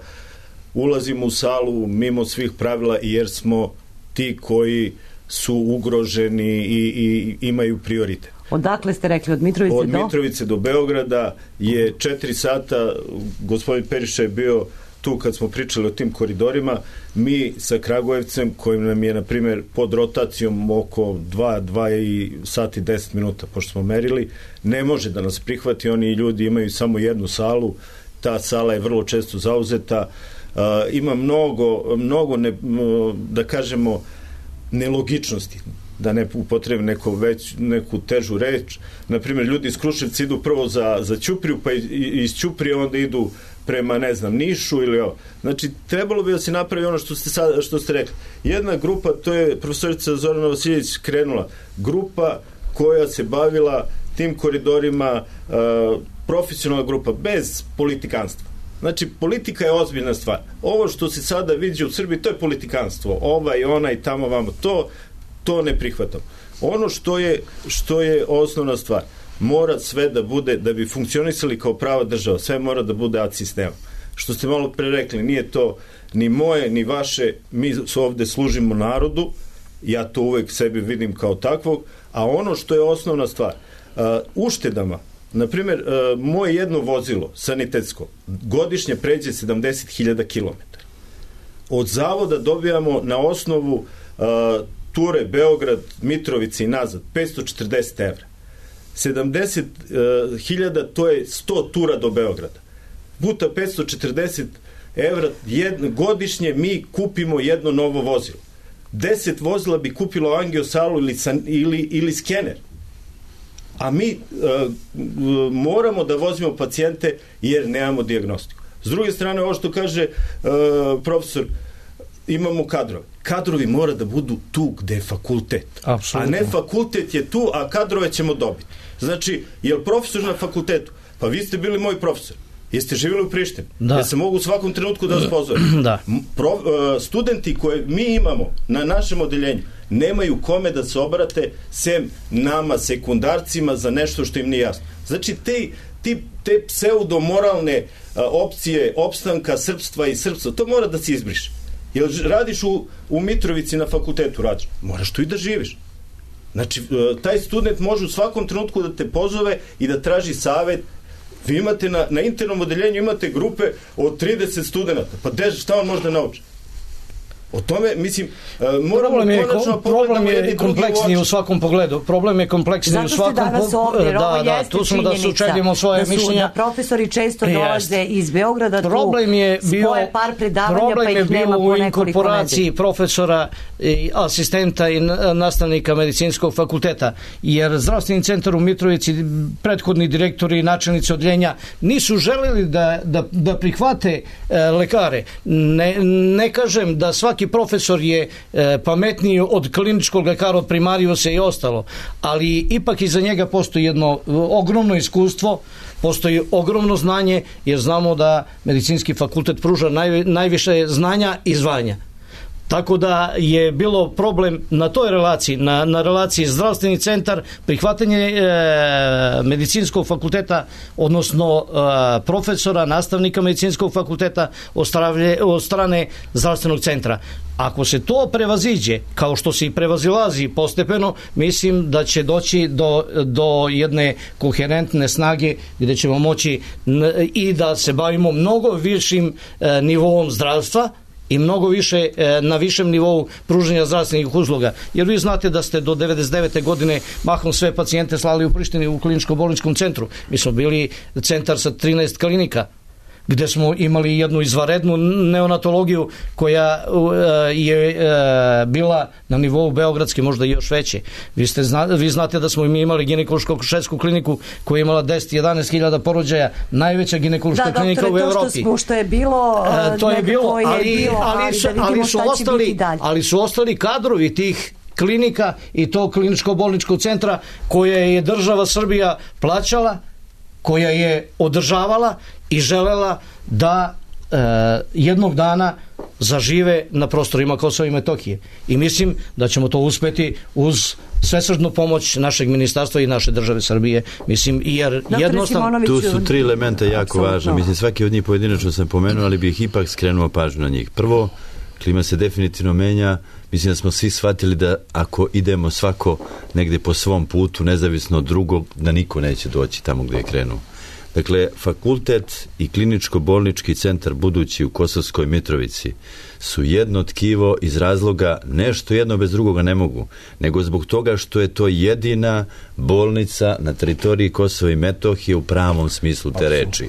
ulazimo u salu mimo svih pravila jer smo ti koji su ugroženi i, i imaju prioritet. Odakle ste rekli? Od Mitrovice od do? Od Mitrovice do Beograda je četiri sata, gospodin Periša je bio tu kad smo pričali o tim koridorima. Mi sa Kragujevcem, kojim nam je na primjer pod rotacijom oko dva, dva sati deset minuta, pošto smo merili, ne može da nas prihvati. Oni ljudi imaju samo jednu salu, ta sala je vrlo često zauzeta. Uh, ima mnogo, mnogo ne, da kažemo nelogičnosti, da ne upotrebim neku, već, neku težu reč. Naprimjer, ljudi iz Kruševca idu prvo za, za Ćupriju, pa iz Ćuprije onda idu prema, ne znam, Nišu ili ovo. Znači, trebalo bi da se napravi ono što ste, sad, što ste rekli. Jedna grupa, to je profesorica Zorana Vasiljević krenula, grupa koja se bavila tim koridorima, uh, profesionalna grupa, bez politikanstva. Znači, politika je ozbiljna stvar. Ovo što se sada vidi u Srbiji, to je politikanstvo. Ovaj, onaj, tamo, vamo. To, to ne prihvatam. Ono što je, što je osnovna stvar, mora sve da bude, da bi funkcionisali kao prava država, sve mora da bude ad sistemom. Što ste malo pre rekli, nije to, ni moje, ni vaše, mi ovde služimo narodu, ja to uvek sebi vidim kao takvog, a ono što je osnovna stvar, uh, uštedama, na primjer, uh, moje jedno vozilo, sanitetsko, godišnje pređe sedamdeset hiljada kilometara. Od zavoda dobijamo na osnovu uh, ture Beograd, Mitrovica i nazad, petsto četrdeset evra. sedamdeset hiljada, to je sto tura do Beograda. Puta petsto četrdeset evra jedno, godišnje mi kupimo jedno novo vozilo. deset vozila bi kupilo angiosalu ili, ili, ili skener. A mi uh, moramo da vozimo pacijente jer nemamo dijagnostiku. S druge strane, ovo što kaže uh, profesor, imamo kadrove. Kadrovi mora da budu tu gde je fakultet. Absolutno. A ne fakultet je tu, a kadrove ćemo dobiti. Znači, je li profesor na fakultetu? Pa vi ste bili moj profesor. Jeste živjeli u Prištini? Da. Ja se mogu u svakom trenutku da vas pozovem. Da. Pro, uh, studenti koje mi imamo na našem odeljenju nemaju kome da se obrate sem nama, sekundarcima, za nešto što im nije jasno. Znači, te, te, te pseudomoralne uh, opcije opstanka srpstva i srpstva, to mora da se izbriše. Jel radiš u, u Mitrovici na fakultetu, radiš? Moraš tu i da živiš. Znači, uh, taj student može u svakom trenutku da te pozove i da traži savet. Vi imate na, na internom odeljenju imate grupe od trideset studenta. Pa de, šta on može da nauči? O tome, mislim, uh, moramo problem je, konačno problem je kompleksniji u svakom pogledu. Problem je kompleksniji u svakom pogledu. Zato ste danas ovdje, da, da, tu smo da sučeljimo svoje da su, mišljenja. Da profesori često dolaze yes. iz Beograda, problem tu je bio, spoje par predavanja, problem pa ih nema po u inkorporaciji profesora, i asistenta i nastavnika medicinskog fakulteta, jer zdravstveni centar u Mitrovici, prethodni direktori i načelnici odeljenja nisu želeli da, da, da prihvate e, lekare. Ne, ne kažem da svaki profesor je e, pametniji od kliničkog lekara, od primarijusa i ostalo, ali ipak iza njega postoji jedno ogromno iskustvo, postoji ogromno znanje, jer znamo da medicinski fakultet pruža naj, najviše znanja i zvanja. Tako da je bilo problem na toj relaciji, na, na relaciji zdravstveni centar, prihvatanje e, medicinskog fakulteta, odnosno e, profesora, nastavnika medicinskog fakulteta od, stravlje, od strane zdravstvenog centra. Ako se to prevaziđe, kao što se i prevazilazi postepeno, mislim da će doći do, do jedne koherentne snage gdje ćemo moći n, i da se bavimo mnogo višim e, nivoom zdravstva i mnogo više e, na višem nivou pružanja zdravstvenih usluga. Jer vi znate da ste do devedeset devete godine mahom sve pacijente slali u Prištini u kliničko-bolničkom centru. Mi smo bili centar sa trinaest klinika, gde smo imali jednu izvanrednu neonatologiju koja uh, je uh, bila na nivou beogradske, možda i još veće. Vi, ste zna, vi znate da smo mi imali ginekološko-akušersku kliniku koja je imala deset do jedanaest hiljada porođaja, najveća ginekološka da, klinika u Evropi. Da, doktore, to što je bilo, uh, to je bilo, je ali, bilo ali, ali, su, da ali, su ostali, ali su ostali kadrovi tih klinika i tog kliničko-bolničkog centra koje je država Srbija plaćala, koja je održavala i želela da e, jednog dana zažive na prostorima Kosova i Metohije. I mislim da ćemo to uspeti uz svesrdnu pomoć našeg ministarstva i naše države Srbije. Mislim, jer jednostavno... Tu su tri elementa jako važne. Mislim, svaki od njih pojedinačno sam pomenuo, ali bih ipak skrenuo pažnju na njih. Prvo, klima se definitivno menja. Mislim da smo svi shvatili da ako idemo svako negde po svom putu, nezavisno od drugog, da niko neće doći tamo gde je krenuo. Dakle, fakultet i kliničko-bolnički centar budući u Kosovskoj Mitrovici su jedno tkivo iz razloga nešto jedno bez drugoga ne mogu, nego zbog toga što je to jedina bolnica na teritoriji Kosova i Metohije u pravom smislu te reči.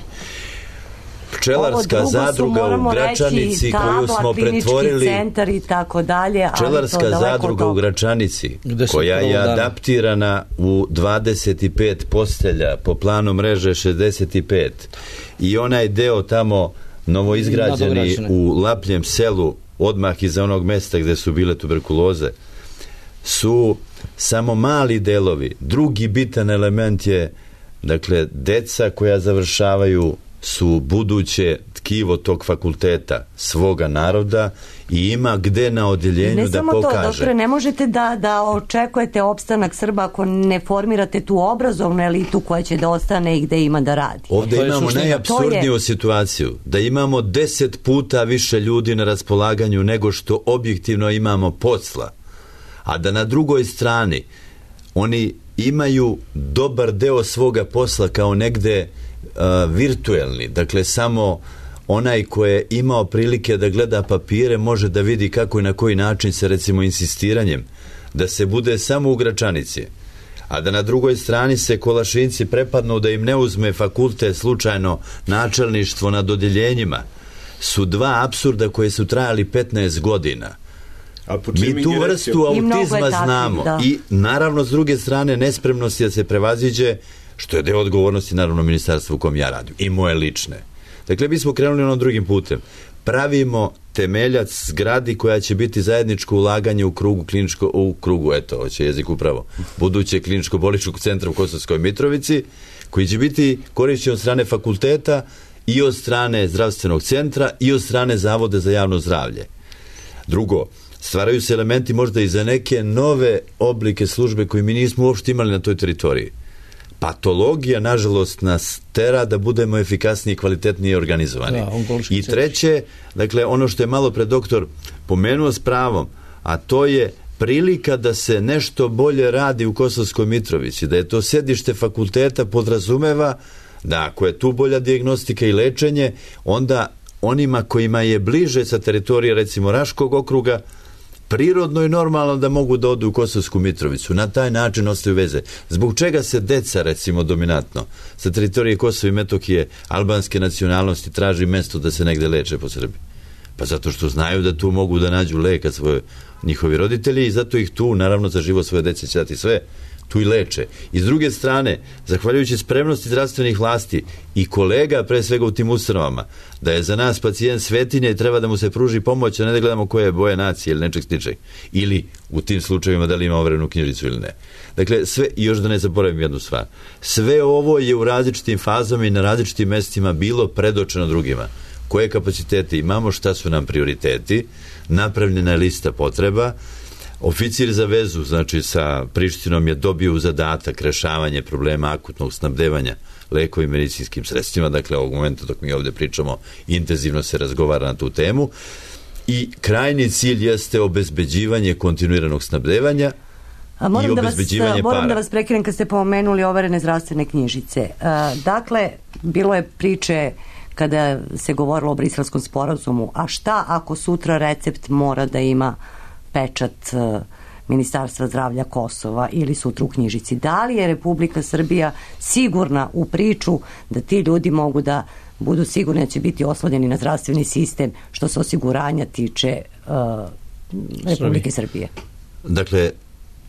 Pčelarska zadruga u Gračanici koju smo pretvorili centar i tako dalje, Pčelarska zadruga u Gračanici koja je adaptirana u dvadeset pet postelja po planu mreže šezdeset pet i onaj deo tamo novoizgrađeni u Lapljem selu odmah iza onog mesta gde su bile tuberkuloze su samo mali delovi. Drugi bitan element je, dakle, deca koja završavaju su buduće tkivo tog fakulteta, svoga naroda i ima gde na odjeljenju da pokaže. Ne samo to, doktore, ne možete da, da očekujete opstanak Srba ako ne formirate tu obrazovnu elitu koja će da ostane i gde ima da radi. Ovdje imamo najapsurdniju je... situaciju, da imamo deset puta više ljudi na raspolaganju nego što objektivno imamo posla, a da na drugoj strani oni imaju dobar deo svoga posla kao negde uh, virtuelni, dakle samo onaj ko je imao prilike da gleda papire može da vidi kako i na koji način se recimo insistiranjem da se bude samo u Gračanici, a da na drugoj strani se Kolašinci prepadnu da im ne uzme fakultet slučajno načelništvo nad odjeljenjima, su dva apsurda koje su trajali petnaest godina. Mi tu vrstu autizma znamo da. I naravno s druge strane nespremnosti da se prevaziđe, što je deo odgovornosti naravno ministarstva u kom ja radim i moje lične. Dakle, mi smo krenuli onom drugim putem. Pravimo temeljac zgradi koja će biti zajedničko ulaganje u krugu kliničko, u krugu, eto, hoće jezik upravo, buduće kliničko-bolničkog centra u Kosovskoj Mitrovici, koji će biti korišćen od strane fakulteta i od strane zdravstvenog centra i od strane Zavoda za javno zdravlje. Drugo, stvaraju se elementi možda i za neke nove oblike službe koje mi nismo uopšte imali na toj teritoriji. Patologija, nažalost, nas tera da budemo efikasniji i kvalitetnije organizovani. Da, I treće, dakle, ono što je malo pre doktor pomenuo s pravom, a to je prilika da se nešto bolje radi u Kosovskoj Mitrovici, da je to sedište fakulteta podrazumeva da ako je tu bolja dijagnostika i lečenje, onda onima kojima je bliže sa teritorije, recimo Raškog okruga, prirodno i normalno da mogu da odu u Kosovsku Mitrovicu. Na taj način ostaju veze. Zbog čega se deca, recimo, dominantno sa teritorije Kosova i Metohije albanske nacionalnosti traži mesto da se negde leče po Srbiji? Pa zato što znaju da tu mogu da nađu leka svoje njihovi roditelji i zato ih tu, naravno, za život svoje dece će dati sve, tu i leče. I s druge strane, zahvaljujući spremnosti zdravstvenih vlasti i kolega, pre svega u tim ustanovama, da je za nas pacijent svetinja i treba da mu se pruži pomoć, a ne da gledamo koje je boje nacije ili nečeg sličeg. Ili u tim slučajevima da li ima overenu knjižicu ili ne. Dakle, sve, i još da ne zaboravim jednu stvar, sve ovo je u različitim fazama i na različitim mestima bilo predočeno drugima. Koje kapacitete imamo, šta su nam prioriteti, napravljena je lista potreba. Oficir za vezu, znači sa Prištinom, je dobio u zadatak rešavanje problema akutnog snabdevanja lekovim medicinskim sredstvima, dakle ovog momenta dok mi ovdje pričamo intenzivno se razgovara na tu temu i krajni cilj jeste obezbeđivanje kontinuiranog snabdevanja A moram i da vas, obezbeđivanje moram para. da vas prekinem kad ste pomenuli overene zdravstvene knjižice. Dakle, bilo je priče kada se govorilo o Briselskom sporazumu, a šta ako sutra recept mora da ima pečat Ministarstva zdravlja Kosova ili sutra u knjižici? Da li je Republika Srbija sigurna u priču da ti ljudi mogu da budu sigurni da će biti oslonjeni na zdravstveni sistem što se osiguranja tiče uh, Republike Srbije? Dakle,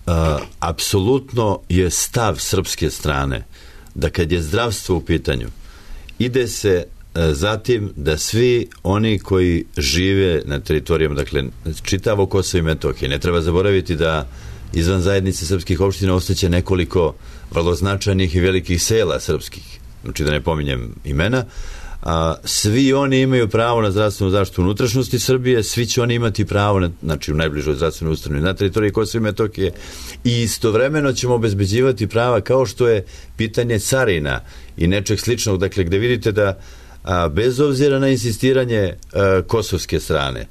uh, apsolutno je stav srpske strane da kad je zdravstvo u pitanju ide se zatim da svi oni koji žive na teritorijama, dakle čitavo Kosovo i Metohije, ne treba zaboraviti da izvan zajednice srpskih opština ostaće nekoliko vrlo značajnih i velikih sela srpskih, znači da ne pominjem imena, a, svi oni imaju pravo na zdravstvenu zaštitu unutrašnjosti Srbije, svi će oni imati pravo na, znači u najbližoj zdravstvenoj ustanovi na teritoriji Kosova i Metohije i istovremeno ćemo obezbeđivati prava kao što je pitanje carina i nečeg sličnog, dakle gde vidite da a bez obzira na insistiranje a, kosovske strane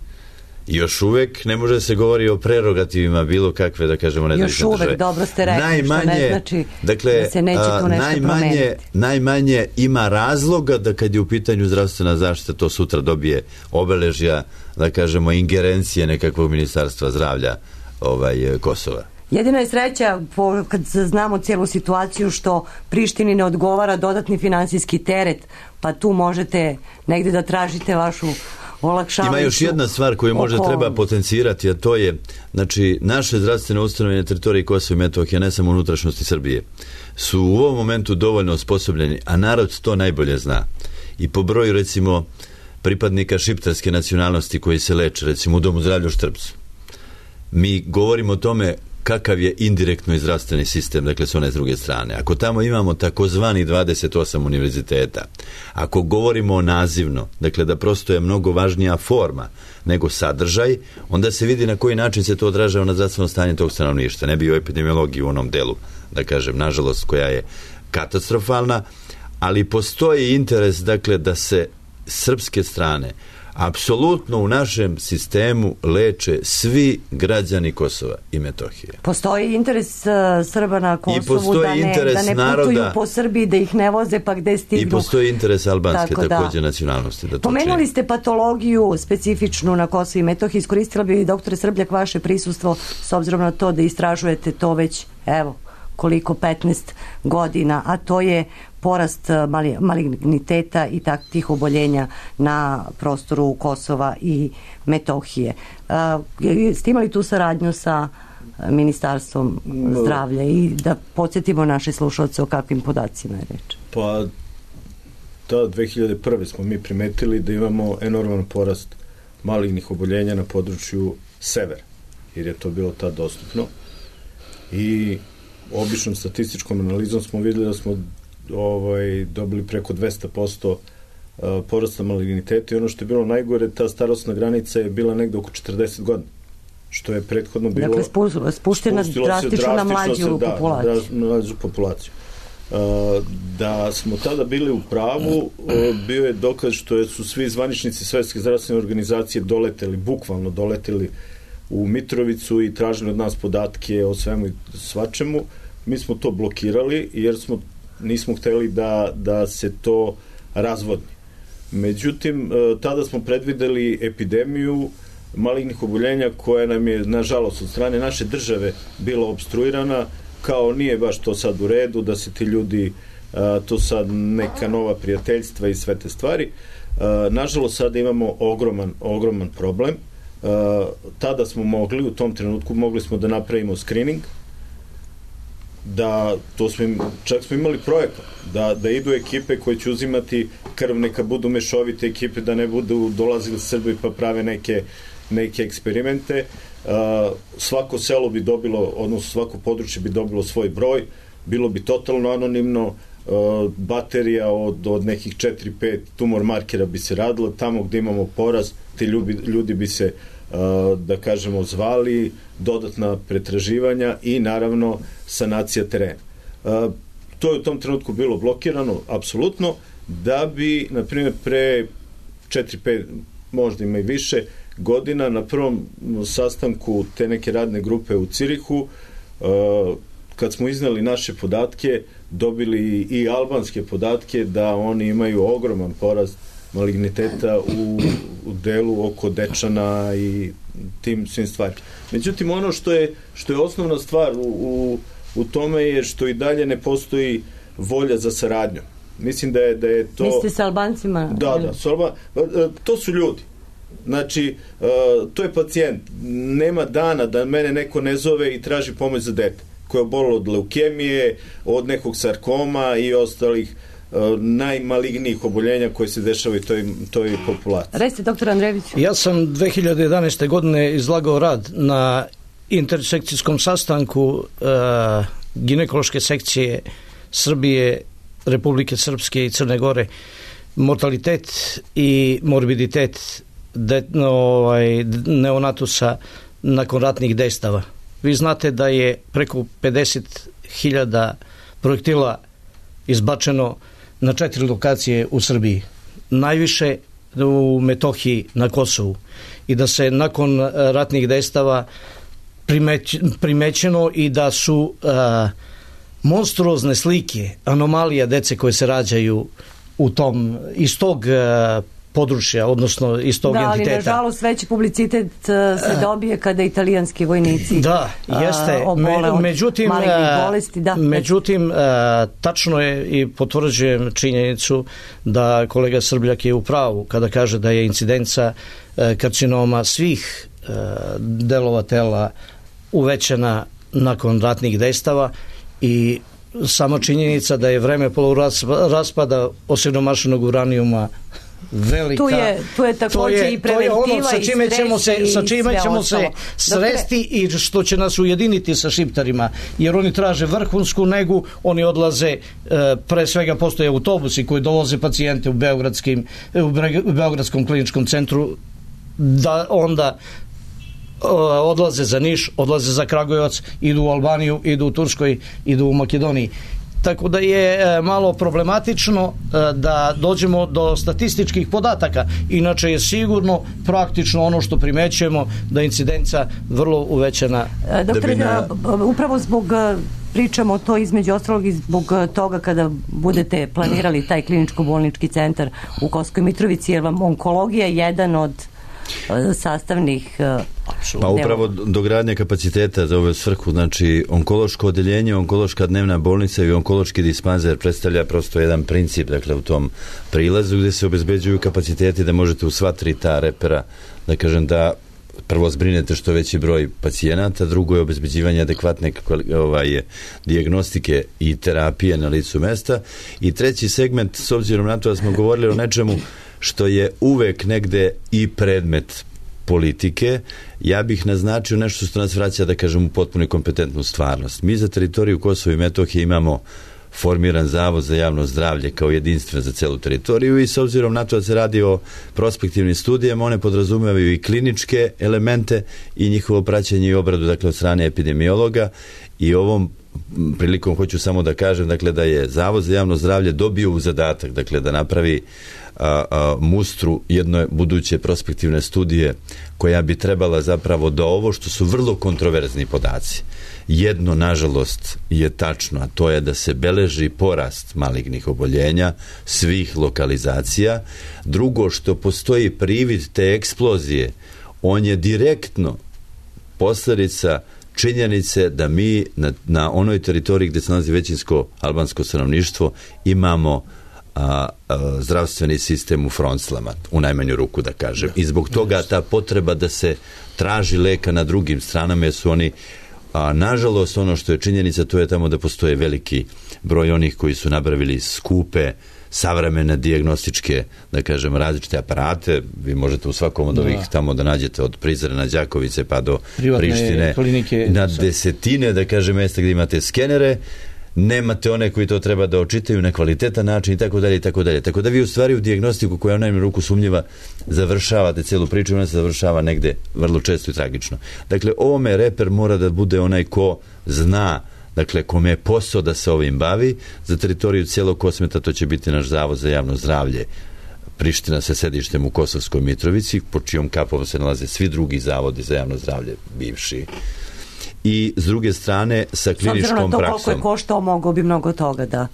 još uvek ne može se govori o prerogativima bilo kakve, da kažemo, nezavisne države. Još uvek, dobro ste rekli, najmanje, što ne znači dakle, da se neće tu nešto najmanje, promeniti. Najmanje ima razloga da kad je u pitanju zdravstvena zaštita to sutra dobije obeležja, da kažemo, ingerencije nekakvog ministarstva zdravlja ovaj, Kosova. Jedina je sreća, po, kad znamo cijelu situaciju, što Prištini ne odgovara dodatni finansijski teret, pa tu možete negde da tražite vašu olakšavajuću. Ima još jedna stvar koju možda oko... treba potencirati, a to je, znači, naše zdravstvene ustanove na teritoriji Kosova i Metohije, ne samo unutrašnjosti Srbije, su u ovom momentu dovoljno osposobljeni, a narod to najbolje zna. I po broju, recimo, pripadnika šiptarske nacionalnosti koji se leče, recimo u Domu zdravlja u Štrpcu. Mi govorimo o tome kakav je indirektno i zdravstveni sistem, dakle s one s druge strane. Ako tamo imamo takozvani dvadeset osam univerziteta, ako govorimo o nazivno, dakle da prosto je mnogo važnija forma nego sadržaj, onda se vidi na koji način se to odražava na zdravstveno stanje tog stanovništva. Ne bi o epidemiologiji u onom delu, da kažem, nažalost, koja je katastrofalna, ali postoji interes, dakle, da se srpske strane apsolutno u našem sistemu leče svi građani Kosova i Metohije. Postoji interes uh, Srba na Kosovu da ne, da ne naroda, putuju po Srbiji, da ih ne voze pa gde stignu. I postoji interes albanske Tako također da. nacionalnosti. Da to Pomenuli čini. ste patologiju specifičnu na Kosovu i Metohiji. Iskoristila bi, doktore Srbljak, vaše prisustvo s obzirom na to da istražujete to već, evo, koliko, petnaest godina, a to je porast maligniteta i takvih oboljenja na prostoru Kosova i Metohije. Ste imali tu saradnju sa Ministarstvom zdravlja i da podsjetimo naše slušalce o kakvim podacima je reč? Pa, ta dve hiljade prve smo mi primetili da imamo enorman porast malignih oboljenja na području severa, jer je to bilo tad dostupno. I običnom statističkom analizom smo vidjeli da smo ovaj, dobili preko dvesta posto porasta maligniteta i ono što je bilo najgore, ta starosna granica je bila negde oko četrdeset godina, što je prethodno bilo... Dakle, spu, spuštena drastično na mlađu da, populaciju. Da, mlađu populaciju. Da smo tada bili u pravu, bio je dokaz što su svi zvaničnici Svetske zdravstvene organizacije doleteli, bukvalno doleteli u Mitrovicu i tražili od nas podatke o svemu i svačemu. Mi smo to blokirali jer smo, nismo hteli da, da se to razvodni. Međutim, tada smo predvideli epidemiju malignih oboljenja koja nam je, nažalost, od strane naše države bila obstruirana, kao nije baš to sad u redu, da se ti ljudi, to sad neka nova prijateljstva i sve te stvari. Nažalost, sada imamo ogroman, ogroman problem. Tada smo mogli, u tom trenutku mogli smo da napravimo screening, da to smo im, čak smo imali projekat da, da idu ekipe koje će uzimati krv, neka budu mešovite ekipe, da ne budu dolazili Srbi pa prave neke, neke eksperimente. Uh, svako selo bi dobilo, odnosno svako područje bi dobilo svoj broj, bilo bi totalno anonimno, uh, baterija od, od nekih četiri pet tumor markera bi se radila, tamo gde imamo poraz, ti ljudi, ljudi bi se uh, da kažemo zvali, dodatna pretraživanja i naravno sanacija terena. Uh, to je u tom trenutku bilo blokirano, apsolutno, da bi, na primjer, pre četiri pet, možda ima i više godina, na prvom sastanku te neke radne grupe u Cirihu, uh, kad smo iznali naše podatke, dobili i albanske podatke da oni imaju ogroman porast maligniteta u, u delu oko Dečana i tim svim stvarima. Međutim, ono što je, što je osnovna stvar u, u, u tome je što i dalje ne postoji volja za saradnju. Mislim da je, da je to... Mislite sa Albancima? Da, da. Su Alba... To su ljudi. Znači, to je pacijent. Nema dana da mene neko ne zove i traži pomoć za dete koje je obolilo od leukemije, od nekog sarkoma i ostalih najmalignijih oboljenja koje se dešavaju toj, toj populaciji. Recite, doktor Andrejević. Ja sam dve hiljade jedanaeste. godine izlagao rad na intersekcijskom sastanku uh, ginekološke sekcije Srbije, Republike Srpske i Crne Gore. Mortalitet i morbiditet de, ovaj, neonatusa nakon ratnih dejstava. Vi znate da je preko pedeset hiljada projektila izbačeno na četiri lokacije u Srbiji. Najviše u Metohiji, na Kosovu. I da se nakon ratnih dejstava primeć, primećeno i da su a, monstruozne slike, anomalija dece koje se rađaju u tom, iz tog a, područja, odnosno iz tog da, entiteta. Da, ali nažalost veći publicitet se dobije kada italijanski vojnici da, jeste. obole od međutim, malignih bolesti. Da. Međutim, tačno je i potvrđujem činjenicu da kolega Srbljak je u pravu kada kaže da je incidenca karcinoma svih delova tela uvećana nakon ratnih dejstava i sama činjenica da je vreme poluraspada osiromašenog uranijuma velika. Tu je, tu je također je, i preventiva to je ono sa čime ćemo se, sa čime ćemo se sresti i što će nas ujediniti sa šiptarima, jer oni traže vrhunsku negu, oni odlaze, e, pre svega postoje autobusi koji dovoze pacijente u beogradskim u Beogradskom kliničkom centru, da onda odlaze za Niš, odlaze za Kragujevac, idu u Albaniju, idu u Turskoj, idu u Makedoniji. Tako da je malo problematično da dođemo do statističkih podataka. Inače je sigurno praktično ono što primećujemo da je incidenca vrlo uvećana. Doktore, na... upravo zbog pričamo to između ostalog i zbog toga kada budete planirali taj kliničko-bolnički centar u Kosovskoj Mitrovici, jer vam onkologija je jedan od sastavnih. Pa upravo dogradnja kapaciteta za ovu svrhu, znači onkološko odeljenje, onkološka dnevna bolnica i onkološki dispanzer predstavlja prosto jedan princip, dakle u tom prilazu gdje se obezbeđuju kapaciteti da možete u sva tri ta repera, da kažem, da prvo zbrinete što veći broj pacijenata, drugo je obezbeđivanje adekvatne ovaj, dijagnostike i terapije na licu mesta, i treći segment, s obzirom na to da smo govorili o nečemu što je uvek negde i predmet politike, ja bih naznačio nešto što nas vraća, da kažem, u potpuno kompetentnu stvarnost. Mi za teritoriju Kosova i Metohije imamo formiran zavod za javno zdravlje kao jedinstven za celu teritoriju, i s obzirom na to da se radi o prospektivnim studijama, one podrazumevaju i kliničke elemente i njihovo praćenje i obradu, dakle, od strane epidemiologa. I ovom prilikom hoću samo da kažem, dakle, da je Zavod za javno zdravlje dobio u zadatak, dakle, da napravi a, a, mustru jedne buduće prospektivne studije koja bi trebala zapravo da ovo što su vrlo kontroverzni podaci, jedno, nažalost, je tačno, a to je da se beleži porast malignih oboljenja svih lokalizacija. Drugo, što postoji privid te eksplozije, on je direktno posljedica činjenice da mi na, na onoj teritoriji gdje se nalazi većinsko albansko stanovništvo imamo a, a, zdravstveni sistem u fronclama, u najmanju ruku da kažem. I zbog toga ta potreba da se traži leka na drugim stranama, jer su oni, a nažalost, ono što je činjenica, to je tamo da postoje veliki broj onih koji su nabavili skupe savremene dijagnostičke, da kažem, različite aparate. Vi možete u svakom od ovih da. tamo da nađete od Prizrena, Đakovice pa do privatne Prištine klinike, na desetine, da kažem, mjesta gdje imate skenere, nemate one koji to treba da očitaju na kvalitetan način i tako dalje i tako dalje. Tako da vi u stvari u dijagnostiku koja je u najmanju ruku sumnjiva završavate celu priču, ona se završava negde vrlo često i tragično. Dakle, ovome reper mora da bude onaj ko zna, dakle, kome je posao da se ovim bavi. Za teritoriju cijelog Kosmeta to će biti naš Zavod za javno zdravlje Priština sa sedištem u Kosovskoj Mitrovici, po čijom kapom se nalaze svi drugi zavodi za javno zdravlje bivši. I s druge strane sa kliničkom praksom. S obzirom na to koliko je koštao, mogao bi mnogo toga da,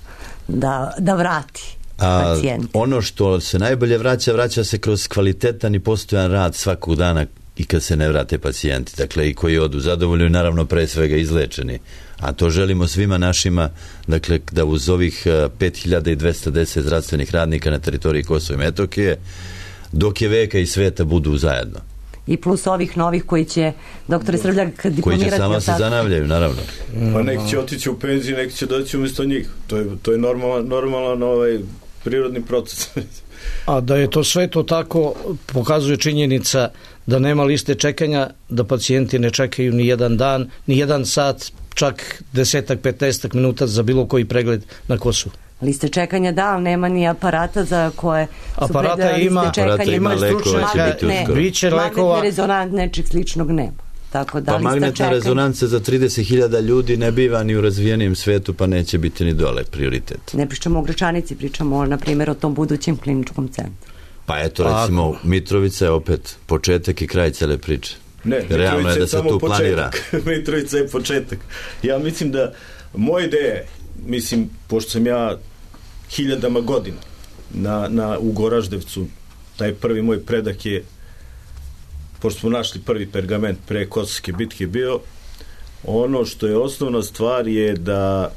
da, da vrati pacijenti. Ono što se najbolje vraća, vraća se kroz kvalitetan i postojan rad svakog dana i kad se ne vrate pacijenti, dakle, i koji odu zadovoljni, naravno pre svega izlečeni. A to želimo svima našima, dakle, da uz ovih pet hiljada dvesta deset zdravstvenih radnika na teritoriji Kosova i Metohije, dok je veka i sveta, budu zajedno. I plus ovih novih koji će, doktore Srbljak, diplomirati. Koji će sama se zanavljaju, naravno. Pa neki će otići u penziju, neki će doći umjesto njih. To je, to je normalan, normalan ovaj prirodni proces. A da je to sve to tako, pokazuje činjenica da nema liste čekanja, da pacijenti ne čekaju ni jedan dan, ni jedan sat, čak desetak, petnaestak minuta za bilo koji pregled na Kosovu. Liste čekanja da, ali nema ni aparata za koje su aparata ima, liste čekanja. Aparata ima, lekova će biti uskoro. Biće lekova. Magnetni rezonans, nečeg sličnog nema. Tako da, pa magnetna rezonanca za trideset hiljada ljudi ne biva ni u razvijenim svetu, pa neće biti ni dole prioritet. Ne pričamo o Gračanici, pričamo, na primjer, o tom budućem kliničkom centru. Pa eto, recimo, Mitrovica je opet početak i kraj cele priče. Ne, realno je da se tu planira. Mitrovica je početak. Ja mislim da moja ideja, mislim, pošto sam ja hiljadama godina na, na, u Goraždevcu, taj prvi moj predak je, pošto smo našli prvi pergament pre Kosovske bitke bio, ono što je osnovna stvar je da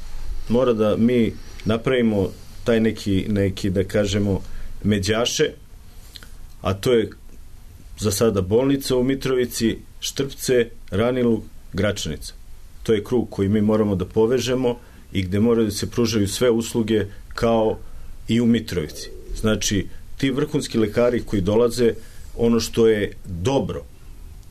mora da mi napravimo taj neki, neki da kažemo, međaše, a to je za sada bolnica u Mitrovici, Štrpce, Ranilug, Gračanica. To je krug koji mi moramo da povežemo i gde moraju da se pružaju sve usluge kao i u Mitrovici. Znači, ti vrhunski lekari koji dolaze, ono što je dobro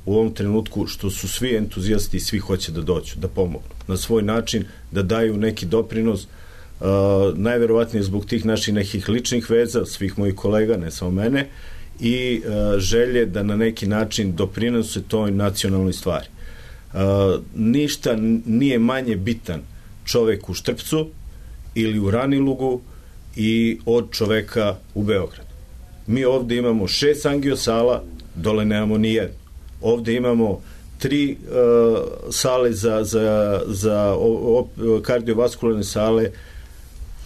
u ovom trenutku, što su svi entuzijasti i svi hoće da dođu, da pomognu na svoj način, da daju neki doprinos, uh, najverovatnije zbog tih naših nekih ličnih veza, svih mojih kolega, ne samo mene, i uh, želje da na neki način doprinose toj nacionalnoj stvari. Uh, ništa nije manje bitan čovek u Štrpcu ili u Ranilugu i od čoveka u Beogradu. Mi ovde imamo šest angiosala, dole nemamo ni jednu. Ovde imamo tri uh, sale za, za, za o, o, kardiovaskularne sale,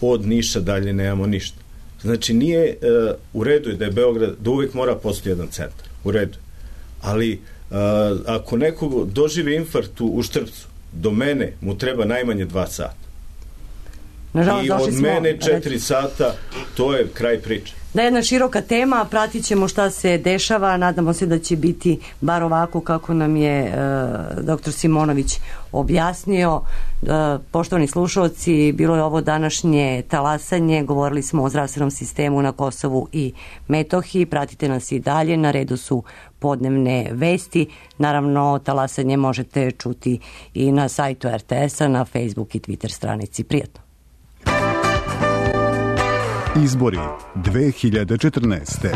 od Niša dalje nemamo ništa. Znači nije, uh, u redu je da je Beograd, da uvek mora postoji jedan centar, u redu. Ali uh, ako neko doživi infarkt u Štrpcu, do mene mu treba najmanje dva sata. Nažalost, i od mene četiri sata, to je kraj priče. Da, jedna široka tema, pratit ćemo šta se dešava, nadamo se da će biti bar ovako kako nam je e, doktor Simonović objasnio. E, poštovani slušalci, bilo je ovo današnje talasanje, govorili smo o zdravstvenom sistemu na Kosovu i Metohiji, pratite nas i dalje, na redu su podnevne vesti, naravno talasanje možete čuti i na sajtu er te es-a, na Facebook i Twitter stranici. Prijatno. Izbori dve hiljade četrnaeste.